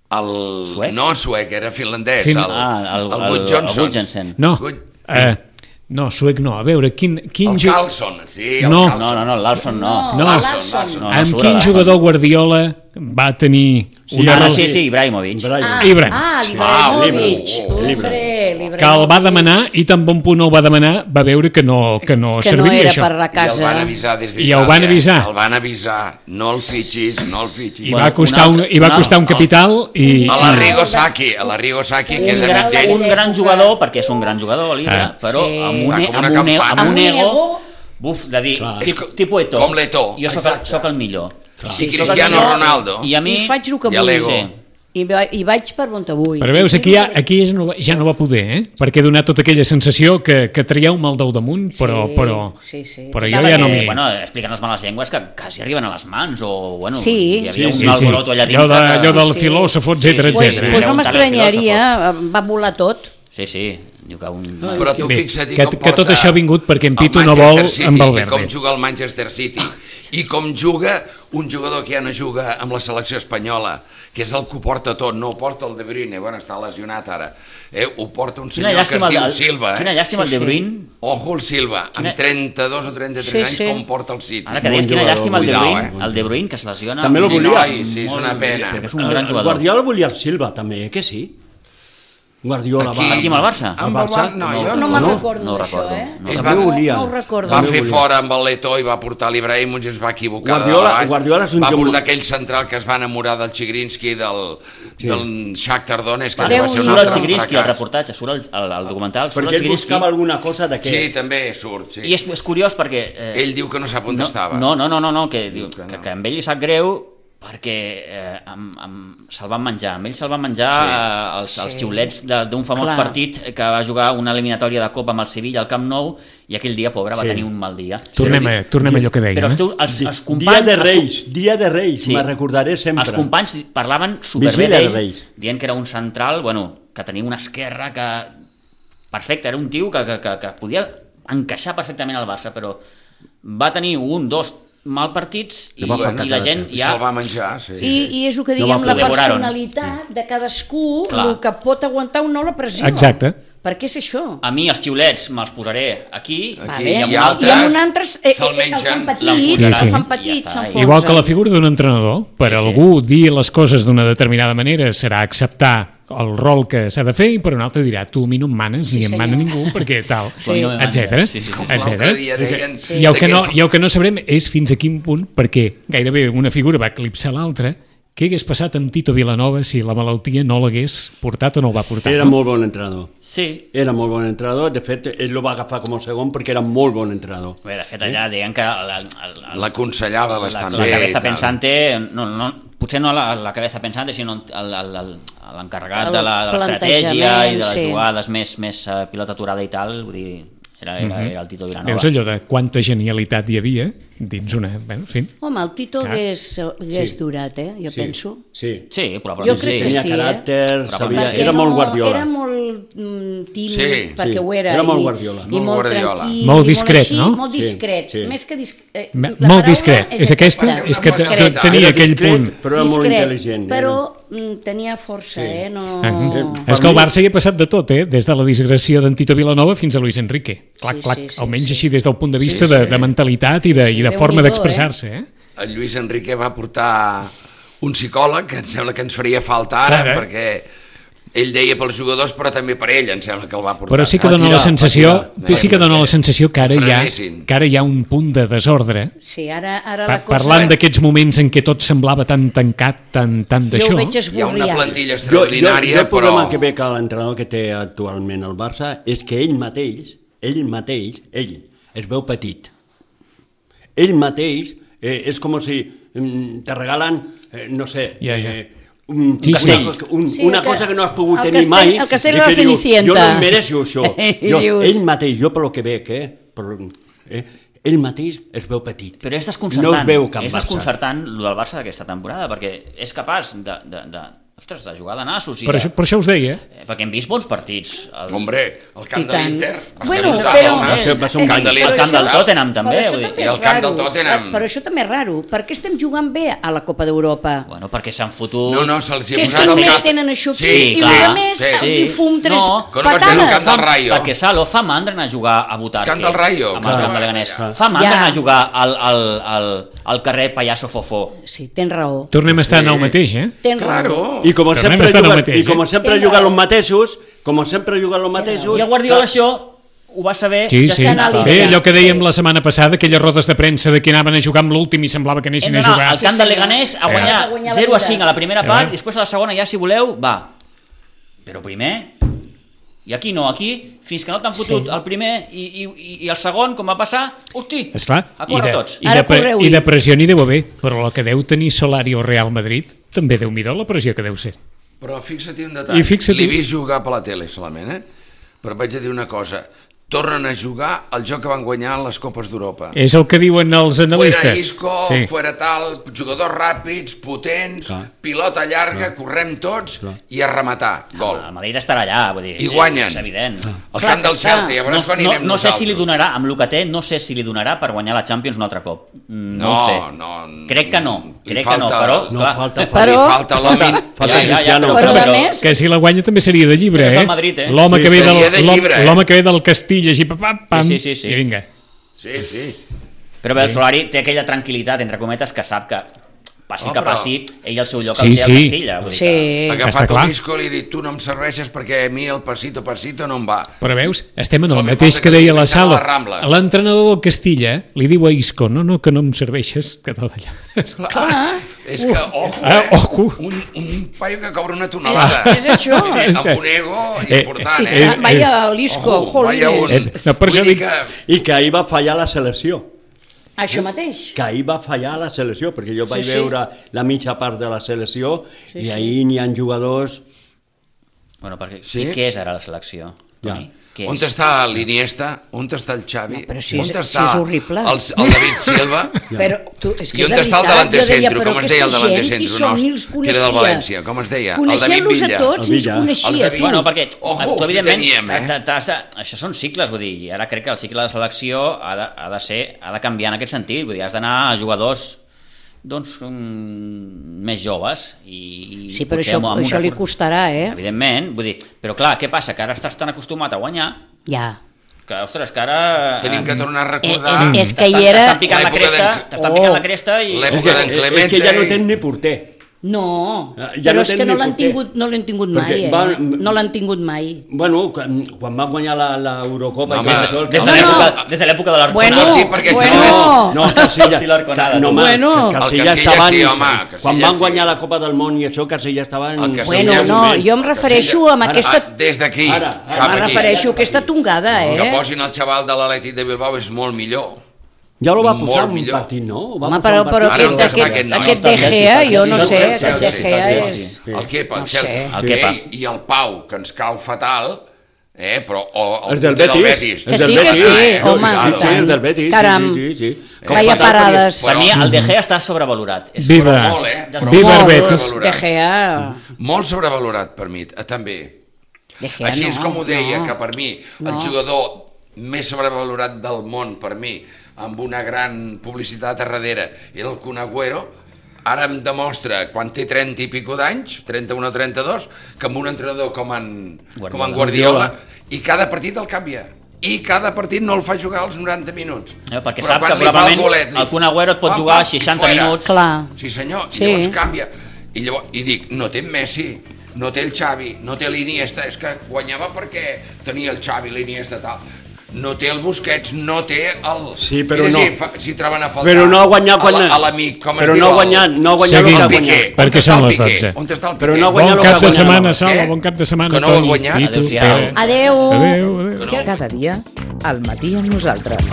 [SPEAKER 3] Suec?
[SPEAKER 5] No suec, era finlandès. El Gudjonsson.
[SPEAKER 1] No, suec no. A veure, quin
[SPEAKER 5] el Carlson, sí.
[SPEAKER 1] No,
[SPEAKER 3] l'Alson no.
[SPEAKER 1] Amb quin jugador Guardiola va tenir una relació?
[SPEAKER 3] Sí, Ibrahimovic.
[SPEAKER 4] Ibrahimovic.
[SPEAKER 1] Que el va demanar i tan bon punt el va demanar va veure que no serviria això.
[SPEAKER 4] Que no era per la casa.
[SPEAKER 5] I el van avisar des d'Itàlia.
[SPEAKER 1] I el van avisar.
[SPEAKER 5] El van avisar. No el fitxis.
[SPEAKER 1] I va costar un capital i...
[SPEAKER 5] A l'Arrigo Sacchi, que és amic d'ell.
[SPEAKER 3] Un gran jugador, perquè és un gran jugador, l'Ibra, però amb un ego... Buf, de dir, tipus Eto'o.
[SPEAKER 5] Com l'Eto'o.
[SPEAKER 3] Jo soc el millor.
[SPEAKER 5] I Cristiano Ronaldo.
[SPEAKER 3] I a mi...
[SPEAKER 4] I faig el que vull. I vaig per on vull.
[SPEAKER 1] Però veus, aquí ja no va poder, perquè ha donat tota aquella sensació que traia un mal del damunt, però jo ja no m'hi...
[SPEAKER 3] Bueno, expliquen les males llengües que quasi arriben a les mans, o bueno,
[SPEAKER 4] hi
[SPEAKER 3] havia un alboroto allà dintre.
[SPEAKER 1] Allò del filòsof, etcètera.
[SPEAKER 4] Pues no m'estranyaria, va volar tot.
[SPEAKER 3] Sí.
[SPEAKER 5] Però tu fixa't
[SPEAKER 1] que tot això ha vingut perquè en Pitu no vol amb Valverde.
[SPEAKER 5] Com juga el Manchester City i com juga un jugador que ja no juga amb la selecció espanyola, que és el que ho porta tot, no ho porta el De Bruyne, bueno, està lesionat ara, ho porta un senyor que es diu Silva.
[SPEAKER 3] Quina llàstima el De Bruyne.
[SPEAKER 5] Ojo el Silva, amb 32 o 33 anys com porta el City.
[SPEAKER 3] Ara que deies quina llàstima el De Bruyne, que es lesiona.
[SPEAKER 6] També el volia.
[SPEAKER 5] Sí, és una pena.
[SPEAKER 3] És un gran jugador.
[SPEAKER 6] Guardiola volia el Silva també, que sí? Guardiola va...
[SPEAKER 3] Aquí amb el Barça?
[SPEAKER 5] Amb el Barça?
[SPEAKER 4] No me'n recordo d'això,
[SPEAKER 6] No
[SPEAKER 4] ho recordo.
[SPEAKER 5] Va fer fora amb el Leto i va portar l'Ibrahimovic i es va equivocar.
[SPEAKER 6] Guardiola és un
[SPEAKER 5] va portar aquell central que es va enamorar del Chigrinsky, del Shakhtar Donetsk, que va ser un altre
[SPEAKER 3] fracàs. El reportatge, surt al documental.
[SPEAKER 6] Perquè ell buscava alguna cosa d'aquest.
[SPEAKER 5] Sí, també surt.
[SPEAKER 3] I és curiós perquè...
[SPEAKER 5] Ell diu que no sap on estava.
[SPEAKER 3] No, que amb ell li sap greu perquè se'l van menjar. Amb ell se'l van menjar els xiulets d'un famós partit que va jugar una eliminatòria de Copa amb el Sevilla al Camp Nou i aquell dia, pobre, va tenir un mal dia.
[SPEAKER 1] Tornem a allò que deia.
[SPEAKER 3] Però els companys...
[SPEAKER 6] Dia de Reis, me'n recordaré sempre.
[SPEAKER 3] Els companys parlaven superbé d'ell, dient que era un central, que tenia una esquerra que... Perfecte, era un tio que podia encaixar perfectament al Barça, però va tenir dos mal partits i la gent ja...
[SPEAKER 5] Se'l va menjar, sí.
[SPEAKER 4] I és el que diguem, la personalitat de cadascú, el que pot aguantar o no la pressió.
[SPEAKER 1] Exacte.
[SPEAKER 4] Per què és això?
[SPEAKER 3] A mi els xiulets me'ls posaré aquí,
[SPEAKER 4] Vale.
[SPEAKER 5] i
[SPEAKER 3] amb un
[SPEAKER 4] I
[SPEAKER 3] altre...
[SPEAKER 4] amb un altre
[SPEAKER 5] se'l
[SPEAKER 4] el fan
[SPEAKER 5] mengen,
[SPEAKER 4] petit,
[SPEAKER 1] l'enfonsaran.
[SPEAKER 4] el fan
[SPEAKER 3] I
[SPEAKER 4] petit,
[SPEAKER 3] ja està.
[SPEAKER 4] s'enfonsen.
[SPEAKER 1] Igual que la figura d'un entrenador, per algú dir les coses d'una determinada manera serà acceptar el rol que s'ha de fer i per un altre dirà tu a mi no em manes ni em mana ningú perquè tal,
[SPEAKER 3] Sí.
[SPEAKER 1] etcètera,
[SPEAKER 3] Sí, sí, sí.
[SPEAKER 5] Com l'altre dia deien...
[SPEAKER 1] I el que no sabrem és fins a quin punt, perquè gairebé una figura va eclipsar l'altra, què hagués passat amb Tito Vilanova si la malaltia no l'hagués portat o no el va portar?
[SPEAKER 6] Era molt bon entrenador.
[SPEAKER 3] Sí.
[SPEAKER 6] Era molt bon entrenador, de fet, ell lo va agafar com a segon perquè era molt bon entrenador.
[SPEAKER 3] Bé, de fet, allà deien que
[SPEAKER 5] L'aconsellava bastant
[SPEAKER 3] la
[SPEAKER 5] bé.
[SPEAKER 3] cabeza
[SPEAKER 5] i tal.
[SPEAKER 3] pensante, potser no la cabeza pensante, sinó l'encarregat
[SPEAKER 4] El
[SPEAKER 3] de l'estratègia i de les
[SPEAKER 4] plantejament,
[SPEAKER 3] jugades més pilota aturada i tal, vull dir, era el Tito Vilanova.
[SPEAKER 1] Veus allò de quanta genialitat hi havia dins una... Bé, en fi.
[SPEAKER 4] Home, el Tito
[SPEAKER 1] Clar.
[SPEAKER 4] hagués durat, jo penso.
[SPEAKER 6] Sí.
[SPEAKER 3] Sí,
[SPEAKER 4] Jo
[SPEAKER 3] probablement
[SPEAKER 4] crec
[SPEAKER 3] sí.
[SPEAKER 4] que
[SPEAKER 6] Tenia
[SPEAKER 4] sí,
[SPEAKER 6] caràcter,
[SPEAKER 3] Probablement
[SPEAKER 6] sabia,
[SPEAKER 3] sí.
[SPEAKER 6] era molt Guardiola.
[SPEAKER 4] Era molt tímid,
[SPEAKER 5] Sí,
[SPEAKER 4] perquè
[SPEAKER 6] sí.
[SPEAKER 4] ho era.
[SPEAKER 6] Era molt
[SPEAKER 4] i-
[SPEAKER 6] Guardiola.
[SPEAKER 4] I
[SPEAKER 5] Molt
[SPEAKER 4] molt
[SPEAKER 5] Guardiola.
[SPEAKER 4] tranquil.
[SPEAKER 1] Molt
[SPEAKER 4] i
[SPEAKER 1] discret,
[SPEAKER 4] així,
[SPEAKER 1] no?
[SPEAKER 4] Molt
[SPEAKER 6] Sí,
[SPEAKER 4] discret.
[SPEAKER 6] sí.
[SPEAKER 4] Més que discret.
[SPEAKER 1] Molt discret. És aquesta, és que
[SPEAKER 5] Discret.
[SPEAKER 1] tenia
[SPEAKER 6] Era
[SPEAKER 1] aquell
[SPEAKER 6] discret,
[SPEAKER 1] punt.
[SPEAKER 6] però era molt
[SPEAKER 4] Discret,
[SPEAKER 6] intel·ligent.
[SPEAKER 4] però tenia força, no...
[SPEAKER 1] És que el Barça hi ha passat de tot, des de la disgressió d'en Tito Vilanova fins a Luis Enrique. Clac,
[SPEAKER 4] Sí,
[SPEAKER 1] clac,
[SPEAKER 4] sí, sí,
[SPEAKER 1] almenys
[SPEAKER 4] sí.
[SPEAKER 1] així des del punt de vista de mentalitat i de forma
[SPEAKER 4] Déu-n'hi-do,
[SPEAKER 1] d'expressar-se.
[SPEAKER 5] El Lluís Enrique va portar un psicòleg que em sembla que ens faria falta ara,
[SPEAKER 1] Clar,
[SPEAKER 5] perquè ell deia pels jugadors, però també per ell, em sembla que el va portar.
[SPEAKER 1] Però sí que
[SPEAKER 6] Va
[SPEAKER 1] dona la
[SPEAKER 6] tirar,
[SPEAKER 1] sensació,
[SPEAKER 5] va tirar.
[SPEAKER 1] sí que dona la sensació que ara
[SPEAKER 5] Frenessin.
[SPEAKER 1] hi ha un punt de desordre.
[SPEAKER 4] Sí, ara la cosa...
[SPEAKER 1] Parlant d'aquests moments en què tot semblava tan tancat, tan
[SPEAKER 4] Jo
[SPEAKER 1] d'això.
[SPEAKER 4] ho veig
[SPEAKER 5] Hi ha una
[SPEAKER 4] esborriat.
[SPEAKER 5] plantilla
[SPEAKER 6] Jo,
[SPEAKER 5] extraordinària,
[SPEAKER 6] el problema
[SPEAKER 5] però...
[SPEAKER 6] que veig a l'entrenador que té actualment el Barça és que ell es veu petit. Ell mateix és com si te regalen, no sé,
[SPEAKER 1] Ja.
[SPEAKER 6] un
[SPEAKER 1] Sí, sí.
[SPEAKER 6] una cosa que no has pogut
[SPEAKER 4] el
[SPEAKER 6] tenir
[SPEAKER 4] castell-
[SPEAKER 6] mai
[SPEAKER 4] el castell
[SPEAKER 6] i
[SPEAKER 4] de la
[SPEAKER 6] que diu,
[SPEAKER 4] Cenicienta.
[SPEAKER 6] jo no em mereixo això.
[SPEAKER 4] I dius-
[SPEAKER 6] Ell mateix, jo per lo que veig, ell mateix es veu petit.
[SPEAKER 3] Però és desconcertant,
[SPEAKER 6] No es veu cap
[SPEAKER 3] és
[SPEAKER 6] Barça.
[SPEAKER 3] desconcertant el del Barça d'aquesta temporada, perquè és capaç de jugar de nassos.
[SPEAKER 1] Per això us deia.
[SPEAKER 3] Perquè hem vist bons partits.
[SPEAKER 5] Hombre, el camp
[SPEAKER 4] I
[SPEAKER 5] de
[SPEAKER 4] tant.
[SPEAKER 5] l'Inter va ser
[SPEAKER 4] Bueno,
[SPEAKER 5] brutal,
[SPEAKER 4] però...
[SPEAKER 5] home.
[SPEAKER 6] Va ser un
[SPEAKER 5] camp de
[SPEAKER 3] el
[SPEAKER 5] l'Inter.
[SPEAKER 3] camp del Tottenham també,
[SPEAKER 4] Però això
[SPEAKER 3] vull dir.
[SPEAKER 4] també
[SPEAKER 5] I el
[SPEAKER 4] és
[SPEAKER 5] camp del
[SPEAKER 4] raro.
[SPEAKER 5] Tottenham.
[SPEAKER 4] Però això també és raro. Per què estem jugant bé a la Copa d'Europa?
[SPEAKER 3] Bueno, perquè s'han fotut...
[SPEAKER 5] No, se'ls hi
[SPEAKER 4] Que
[SPEAKER 5] ha
[SPEAKER 4] és que
[SPEAKER 5] posat el
[SPEAKER 4] només
[SPEAKER 5] cap.
[SPEAKER 4] tenen això aquí
[SPEAKER 5] Sí,
[SPEAKER 4] i
[SPEAKER 3] clar,
[SPEAKER 4] els més
[SPEAKER 5] sí.
[SPEAKER 4] els hi fum tres
[SPEAKER 3] No,
[SPEAKER 5] que no vaig veure el camp
[SPEAKER 4] patades.
[SPEAKER 5] del Rayo.
[SPEAKER 3] Perquè Salo fa mandra anar a jugar a Butarque.
[SPEAKER 5] Camp del Rayo,
[SPEAKER 3] Amb el
[SPEAKER 5] clar.
[SPEAKER 3] camp de Leganés.
[SPEAKER 5] Clar.
[SPEAKER 3] Fa mandra
[SPEAKER 4] Ja.
[SPEAKER 3] anar a jugar al carrer Payaso Fofó.
[SPEAKER 4] Sí, tens raó.
[SPEAKER 1] Tornem a estar en el mateix,
[SPEAKER 4] Tens raó.
[SPEAKER 5] Claro.
[SPEAKER 6] I com
[SPEAKER 1] Tornem
[SPEAKER 6] sempre
[SPEAKER 1] a estar en el
[SPEAKER 6] juguen,
[SPEAKER 1] mateix,
[SPEAKER 6] i com sempre
[SPEAKER 4] Tens
[SPEAKER 6] juguen
[SPEAKER 4] raó.
[SPEAKER 6] els mateixos,
[SPEAKER 3] I el Guardiola això ho va saber...
[SPEAKER 1] Sí,
[SPEAKER 4] Ja
[SPEAKER 1] sí.
[SPEAKER 4] està analitzat.
[SPEAKER 1] Bé, allò que dèiem
[SPEAKER 4] Sí.
[SPEAKER 1] la setmana passada, aquelles rodes de premsa de que anaven a jugar amb l'últim i semblava que anessin a
[SPEAKER 3] Hem d'anar
[SPEAKER 1] jugar.
[SPEAKER 3] al camp
[SPEAKER 4] Sí,
[SPEAKER 3] de
[SPEAKER 4] senyor.
[SPEAKER 3] Leganés a
[SPEAKER 4] A
[SPEAKER 3] guanyar
[SPEAKER 4] guanyar la
[SPEAKER 3] 0 a
[SPEAKER 4] vida.
[SPEAKER 3] 5 a la primera part
[SPEAKER 1] Eh?
[SPEAKER 3] i després a la segona ja, si voleu, va. Però primer... I aquí no, aquí, fins que no t'han fotut el primer i el segon, com va passar, hosti,
[SPEAKER 1] Esclar,
[SPEAKER 3] a córrer tots.
[SPEAKER 4] Ara correu-hi.
[SPEAKER 1] i de pressió n'hi deu haver, però la que deu tenir Solari o Real Madrid també deu mirar la pressió que deu ser.
[SPEAKER 5] Però fixa't un detall.
[SPEAKER 1] I fixa't-
[SPEAKER 5] L'he vist jugar per la tele solament, però vaig a dir una cosa. Tornen a jugar el joc que van guanyar en les Copes d'Europa.
[SPEAKER 1] És el que diuen els analistes.
[SPEAKER 5] Fuera Isco,
[SPEAKER 1] Sí.
[SPEAKER 5] fuera tal, jugadors ràpids, potents,
[SPEAKER 6] Clar.
[SPEAKER 5] pilota llarga, correm tots i a rematar, gol.
[SPEAKER 3] El Madrid estarà allà, vull dir,
[SPEAKER 5] I guanyen.
[SPEAKER 3] és evident.
[SPEAKER 5] El camp del Celta, ja veuràs quan hi anem
[SPEAKER 3] no sé si li
[SPEAKER 5] nosaltres.
[SPEAKER 3] donarà, amb el que té, no sé si li donarà per guanyar la Champions un altre cop. No ho sé. Crec que no,
[SPEAKER 5] Li
[SPEAKER 3] crec que no,
[SPEAKER 5] falta-
[SPEAKER 3] però,
[SPEAKER 6] No,
[SPEAKER 3] clar,
[SPEAKER 6] falta,
[SPEAKER 5] Li
[SPEAKER 4] Però-
[SPEAKER 5] falta l'home...
[SPEAKER 6] falta Cristiano.
[SPEAKER 4] Però a més-
[SPEAKER 1] Que si la guanya també seria de llibre,
[SPEAKER 3] Però és el Madrid,
[SPEAKER 1] L'home
[SPEAKER 6] Sí,
[SPEAKER 1] que, ve
[SPEAKER 5] seria de llibre,
[SPEAKER 1] l'home que ve del Castilla, així, pam, pam,
[SPEAKER 3] Sí.
[SPEAKER 1] i vinga.
[SPEAKER 5] Sí, sí.
[SPEAKER 3] Però bé, el Solari té aquella tranquil·litat, entre cometes, que sap que passi
[SPEAKER 5] Oh,
[SPEAKER 3] que
[SPEAKER 5] però-
[SPEAKER 3] passi, ell el seu lloc
[SPEAKER 1] Sí,
[SPEAKER 3] el té al
[SPEAKER 1] sí.
[SPEAKER 3] Castilla. Vull dir
[SPEAKER 4] Sí.
[SPEAKER 5] Ha
[SPEAKER 1] Està
[SPEAKER 5] agafat
[SPEAKER 1] clar.
[SPEAKER 5] un Isco i li ha dit tu no em serveixes perquè a mi el pasito no em va.
[SPEAKER 1] Però veus, estem en el
[SPEAKER 5] Sol li
[SPEAKER 1] mateix
[SPEAKER 5] falta
[SPEAKER 1] que
[SPEAKER 5] que
[SPEAKER 1] deia
[SPEAKER 5] li
[SPEAKER 1] la
[SPEAKER 5] comencem a
[SPEAKER 1] sala.
[SPEAKER 5] les Rambles.
[SPEAKER 1] L'entrenador del Castilla li diu a Isco, no, que no em serveixes, que tot allà.
[SPEAKER 4] Clar.
[SPEAKER 5] És que, ojo,
[SPEAKER 1] Ojo.
[SPEAKER 5] un paio que cobra una tonelada.
[SPEAKER 4] És això.
[SPEAKER 5] Amb un ego important,
[SPEAKER 4] Vaya l'Isco,
[SPEAKER 5] Ojo, vaya un...
[SPEAKER 4] jolines.
[SPEAKER 1] No, per
[SPEAKER 5] Vull
[SPEAKER 1] això
[SPEAKER 5] dir
[SPEAKER 1] dic-
[SPEAKER 5] que...
[SPEAKER 6] I que ahir va fallar la selecció.
[SPEAKER 4] Això mateix.
[SPEAKER 6] Que ahir va fallar la selecció, perquè jo vaig
[SPEAKER 4] sí.
[SPEAKER 6] veure la mitja part de la selecció i ahir n'hi ha jugadors...
[SPEAKER 3] Bueno, perquè
[SPEAKER 5] Sí?
[SPEAKER 3] què és ara la selecció, Toni? Què
[SPEAKER 5] On
[SPEAKER 3] és?
[SPEAKER 5] està l'Iniesta? On està el Xavi?
[SPEAKER 4] No, però si
[SPEAKER 5] on
[SPEAKER 4] és-
[SPEAKER 5] està
[SPEAKER 4] si és horrible.
[SPEAKER 5] el David Silva?
[SPEAKER 4] Però tu, és que
[SPEAKER 5] I on
[SPEAKER 4] és
[SPEAKER 5] està el
[SPEAKER 4] veritat,
[SPEAKER 5] delante
[SPEAKER 4] jo deia,
[SPEAKER 5] centro?
[SPEAKER 4] però
[SPEAKER 5] Com es deia el
[SPEAKER 4] aquesta
[SPEAKER 5] delante
[SPEAKER 4] gent, qui
[SPEAKER 5] centro
[SPEAKER 4] són? Ni els
[SPEAKER 5] nostre? Que era del
[SPEAKER 4] coneixia.
[SPEAKER 5] València. Com es deia? El
[SPEAKER 4] Coneixent-los
[SPEAKER 5] David
[SPEAKER 4] a
[SPEAKER 5] Villa.
[SPEAKER 4] tots
[SPEAKER 6] El
[SPEAKER 4] i els
[SPEAKER 6] Villa.
[SPEAKER 4] coneixia
[SPEAKER 5] El
[SPEAKER 4] a
[SPEAKER 5] David.
[SPEAKER 4] tots.
[SPEAKER 3] Bueno, perquè
[SPEAKER 5] Ojo,
[SPEAKER 3] tu,
[SPEAKER 5] qui
[SPEAKER 3] evidentment,
[SPEAKER 5] teníem,
[SPEAKER 3] això són cicles, vull dir, i ara crec que el cicle de selecció ha de canviar en aquest sentit, vull dir, has d'anar a jugadors doncs, més joves. I
[SPEAKER 4] Sí, però
[SPEAKER 3] potser amb una-
[SPEAKER 4] això li costarà,
[SPEAKER 3] Evidentment, vull dir, però clar, què passa? Que ara estàs tan acostumat a guanyar
[SPEAKER 4] Ja.
[SPEAKER 3] que, ostres, que ara...
[SPEAKER 5] Tenim que tornar a recordar
[SPEAKER 4] És que hi era...
[SPEAKER 3] T'estan picant la
[SPEAKER 5] l'època
[SPEAKER 3] cresta, t'estan picant la cresta i...
[SPEAKER 5] l'època d'en Clemente.
[SPEAKER 6] És que ja no tenen ni porter.
[SPEAKER 4] No,
[SPEAKER 6] Ja
[SPEAKER 4] però
[SPEAKER 6] no
[SPEAKER 4] és que
[SPEAKER 6] tenen
[SPEAKER 4] no
[SPEAKER 6] ni
[SPEAKER 4] l'han
[SPEAKER 6] porter.
[SPEAKER 4] tingut, no l'han tingut
[SPEAKER 6] Perquè
[SPEAKER 4] mai, no l'han tingut mai.
[SPEAKER 6] Bueno, quan va guanyar l'Eurocopa...
[SPEAKER 5] No,
[SPEAKER 6] i
[SPEAKER 5] home,
[SPEAKER 6] tot això,
[SPEAKER 3] Des
[SPEAKER 6] que-
[SPEAKER 3] de l'època de l'Arconada.
[SPEAKER 4] Bueno,
[SPEAKER 5] Sí, perquè
[SPEAKER 4] bueno.
[SPEAKER 6] No, Casilla,
[SPEAKER 3] Estil Arconada,
[SPEAKER 6] no, home,
[SPEAKER 4] Bueno.
[SPEAKER 6] que
[SPEAKER 5] El
[SPEAKER 6] Casilla
[SPEAKER 5] Casilla
[SPEAKER 6] estaven...
[SPEAKER 5] sí, home, Casilla
[SPEAKER 6] quan van
[SPEAKER 5] sí.
[SPEAKER 6] guanyar la Copa del Món i això, Casilla estaven...
[SPEAKER 5] El Casilla
[SPEAKER 4] Bueno,
[SPEAKER 5] és
[SPEAKER 4] no,
[SPEAKER 5] moment.
[SPEAKER 4] jo em refereixo a aquesta...
[SPEAKER 5] Des d'aquí,
[SPEAKER 6] Ara,
[SPEAKER 5] cap
[SPEAKER 4] Em
[SPEAKER 5] aquí.
[SPEAKER 4] refereixo a aquesta tongada,
[SPEAKER 5] Que posin el xaval de l'Atlètic de Bilbao és molt millor.
[SPEAKER 6] Ja lo va
[SPEAKER 5] Molt
[SPEAKER 6] posar en un
[SPEAKER 5] millor.
[SPEAKER 6] partit, no? Ho va
[SPEAKER 4] Home,
[SPEAKER 6] posar en un
[SPEAKER 4] però
[SPEAKER 6] partit.
[SPEAKER 5] Ara on està aquest noi?
[SPEAKER 4] aquest De Gea, jo no sé, aquest De Gea és...
[SPEAKER 6] Sí.
[SPEAKER 5] El Kepa,
[SPEAKER 4] No sé.
[SPEAKER 3] El Kepa.
[SPEAKER 5] I el Pau, que ens cau fatal, però o
[SPEAKER 6] El del Betis.
[SPEAKER 4] Que sí, que sí, home,
[SPEAKER 6] Sí,
[SPEAKER 4] i tant.
[SPEAKER 6] el del Betis.
[SPEAKER 4] Caram,
[SPEAKER 6] Sí, sí, sí.
[SPEAKER 4] feia parades.
[SPEAKER 3] Per mi el De Gea està sobrevalorat. És
[SPEAKER 1] Viva.
[SPEAKER 5] Molt, però
[SPEAKER 1] Viva
[SPEAKER 5] molt
[SPEAKER 1] el Betis.
[SPEAKER 5] sobrevalorat.
[SPEAKER 4] De Gea...
[SPEAKER 5] Molt sobrevalorat per mi, també.
[SPEAKER 4] De Gea
[SPEAKER 5] Així és
[SPEAKER 4] no,
[SPEAKER 5] com ho deia,
[SPEAKER 4] no.
[SPEAKER 5] que per mi el
[SPEAKER 4] No.
[SPEAKER 5] jugador més sobrevalorat del món, per mi, amb una gran publicitat a darrere, era el Kun Agüero. Ara em demostra, quan té 30 i pico d'anys, 31 o 32, que amb un entrenador com en Guardiola, i cada partit el canvia. I cada partit no el fa jugar als 90 minuts.
[SPEAKER 3] Perquè
[SPEAKER 5] Però
[SPEAKER 3] sap
[SPEAKER 5] quan
[SPEAKER 3] que
[SPEAKER 5] li fa
[SPEAKER 3] probablement
[SPEAKER 5] golet,
[SPEAKER 3] el Kun Agüero et pot jugar
[SPEAKER 5] i
[SPEAKER 3] 60
[SPEAKER 5] fora.
[SPEAKER 3] minuts.
[SPEAKER 4] Clar.
[SPEAKER 5] Sí senyor,
[SPEAKER 4] Sí.
[SPEAKER 5] i llavors canvia. I dic, no té Messi, no té el Xavi, no té l'Iniesta, és que guanyava perquè tenia el Xavi, l'Iniesta, tal. No té el Busquets, no té el...
[SPEAKER 6] Sí, però
[SPEAKER 5] Mira,
[SPEAKER 6] no.
[SPEAKER 5] si troben a faltar...
[SPEAKER 6] Però no ha guanyat
[SPEAKER 5] a l'amic, com es
[SPEAKER 6] però
[SPEAKER 5] diu?
[SPEAKER 6] no ha guanyat, no ha guanyat
[SPEAKER 1] Seguim.
[SPEAKER 6] el que ha
[SPEAKER 5] El Piqué.
[SPEAKER 6] guanyat.
[SPEAKER 1] Perquè
[SPEAKER 5] On està
[SPEAKER 1] són
[SPEAKER 5] el
[SPEAKER 1] les
[SPEAKER 5] Piqué?
[SPEAKER 1] 12.
[SPEAKER 5] On està el
[SPEAKER 6] Però
[SPEAKER 5] Piqué?
[SPEAKER 6] no ha guanyat
[SPEAKER 1] Bon
[SPEAKER 6] el que
[SPEAKER 1] cap
[SPEAKER 6] ha
[SPEAKER 1] de
[SPEAKER 6] guanyat.
[SPEAKER 1] setmana,
[SPEAKER 5] Què?
[SPEAKER 1] Sala, bon cap de setmana,
[SPEAKER 5] Que no ho ha
[SPEAKER 1] Toni.
[SPEAKER 5] guanyat?
[SPEAKER 1] I tu,
[SPEAKER 3] Adéu-siau.
[SPEAKER 1] Pere.
[SPEAKER 4] Adéu.
[SPEAKER 1] Adéu, adéu.
[SPEAKER 7] Cada dia, al matí amb nosaltres.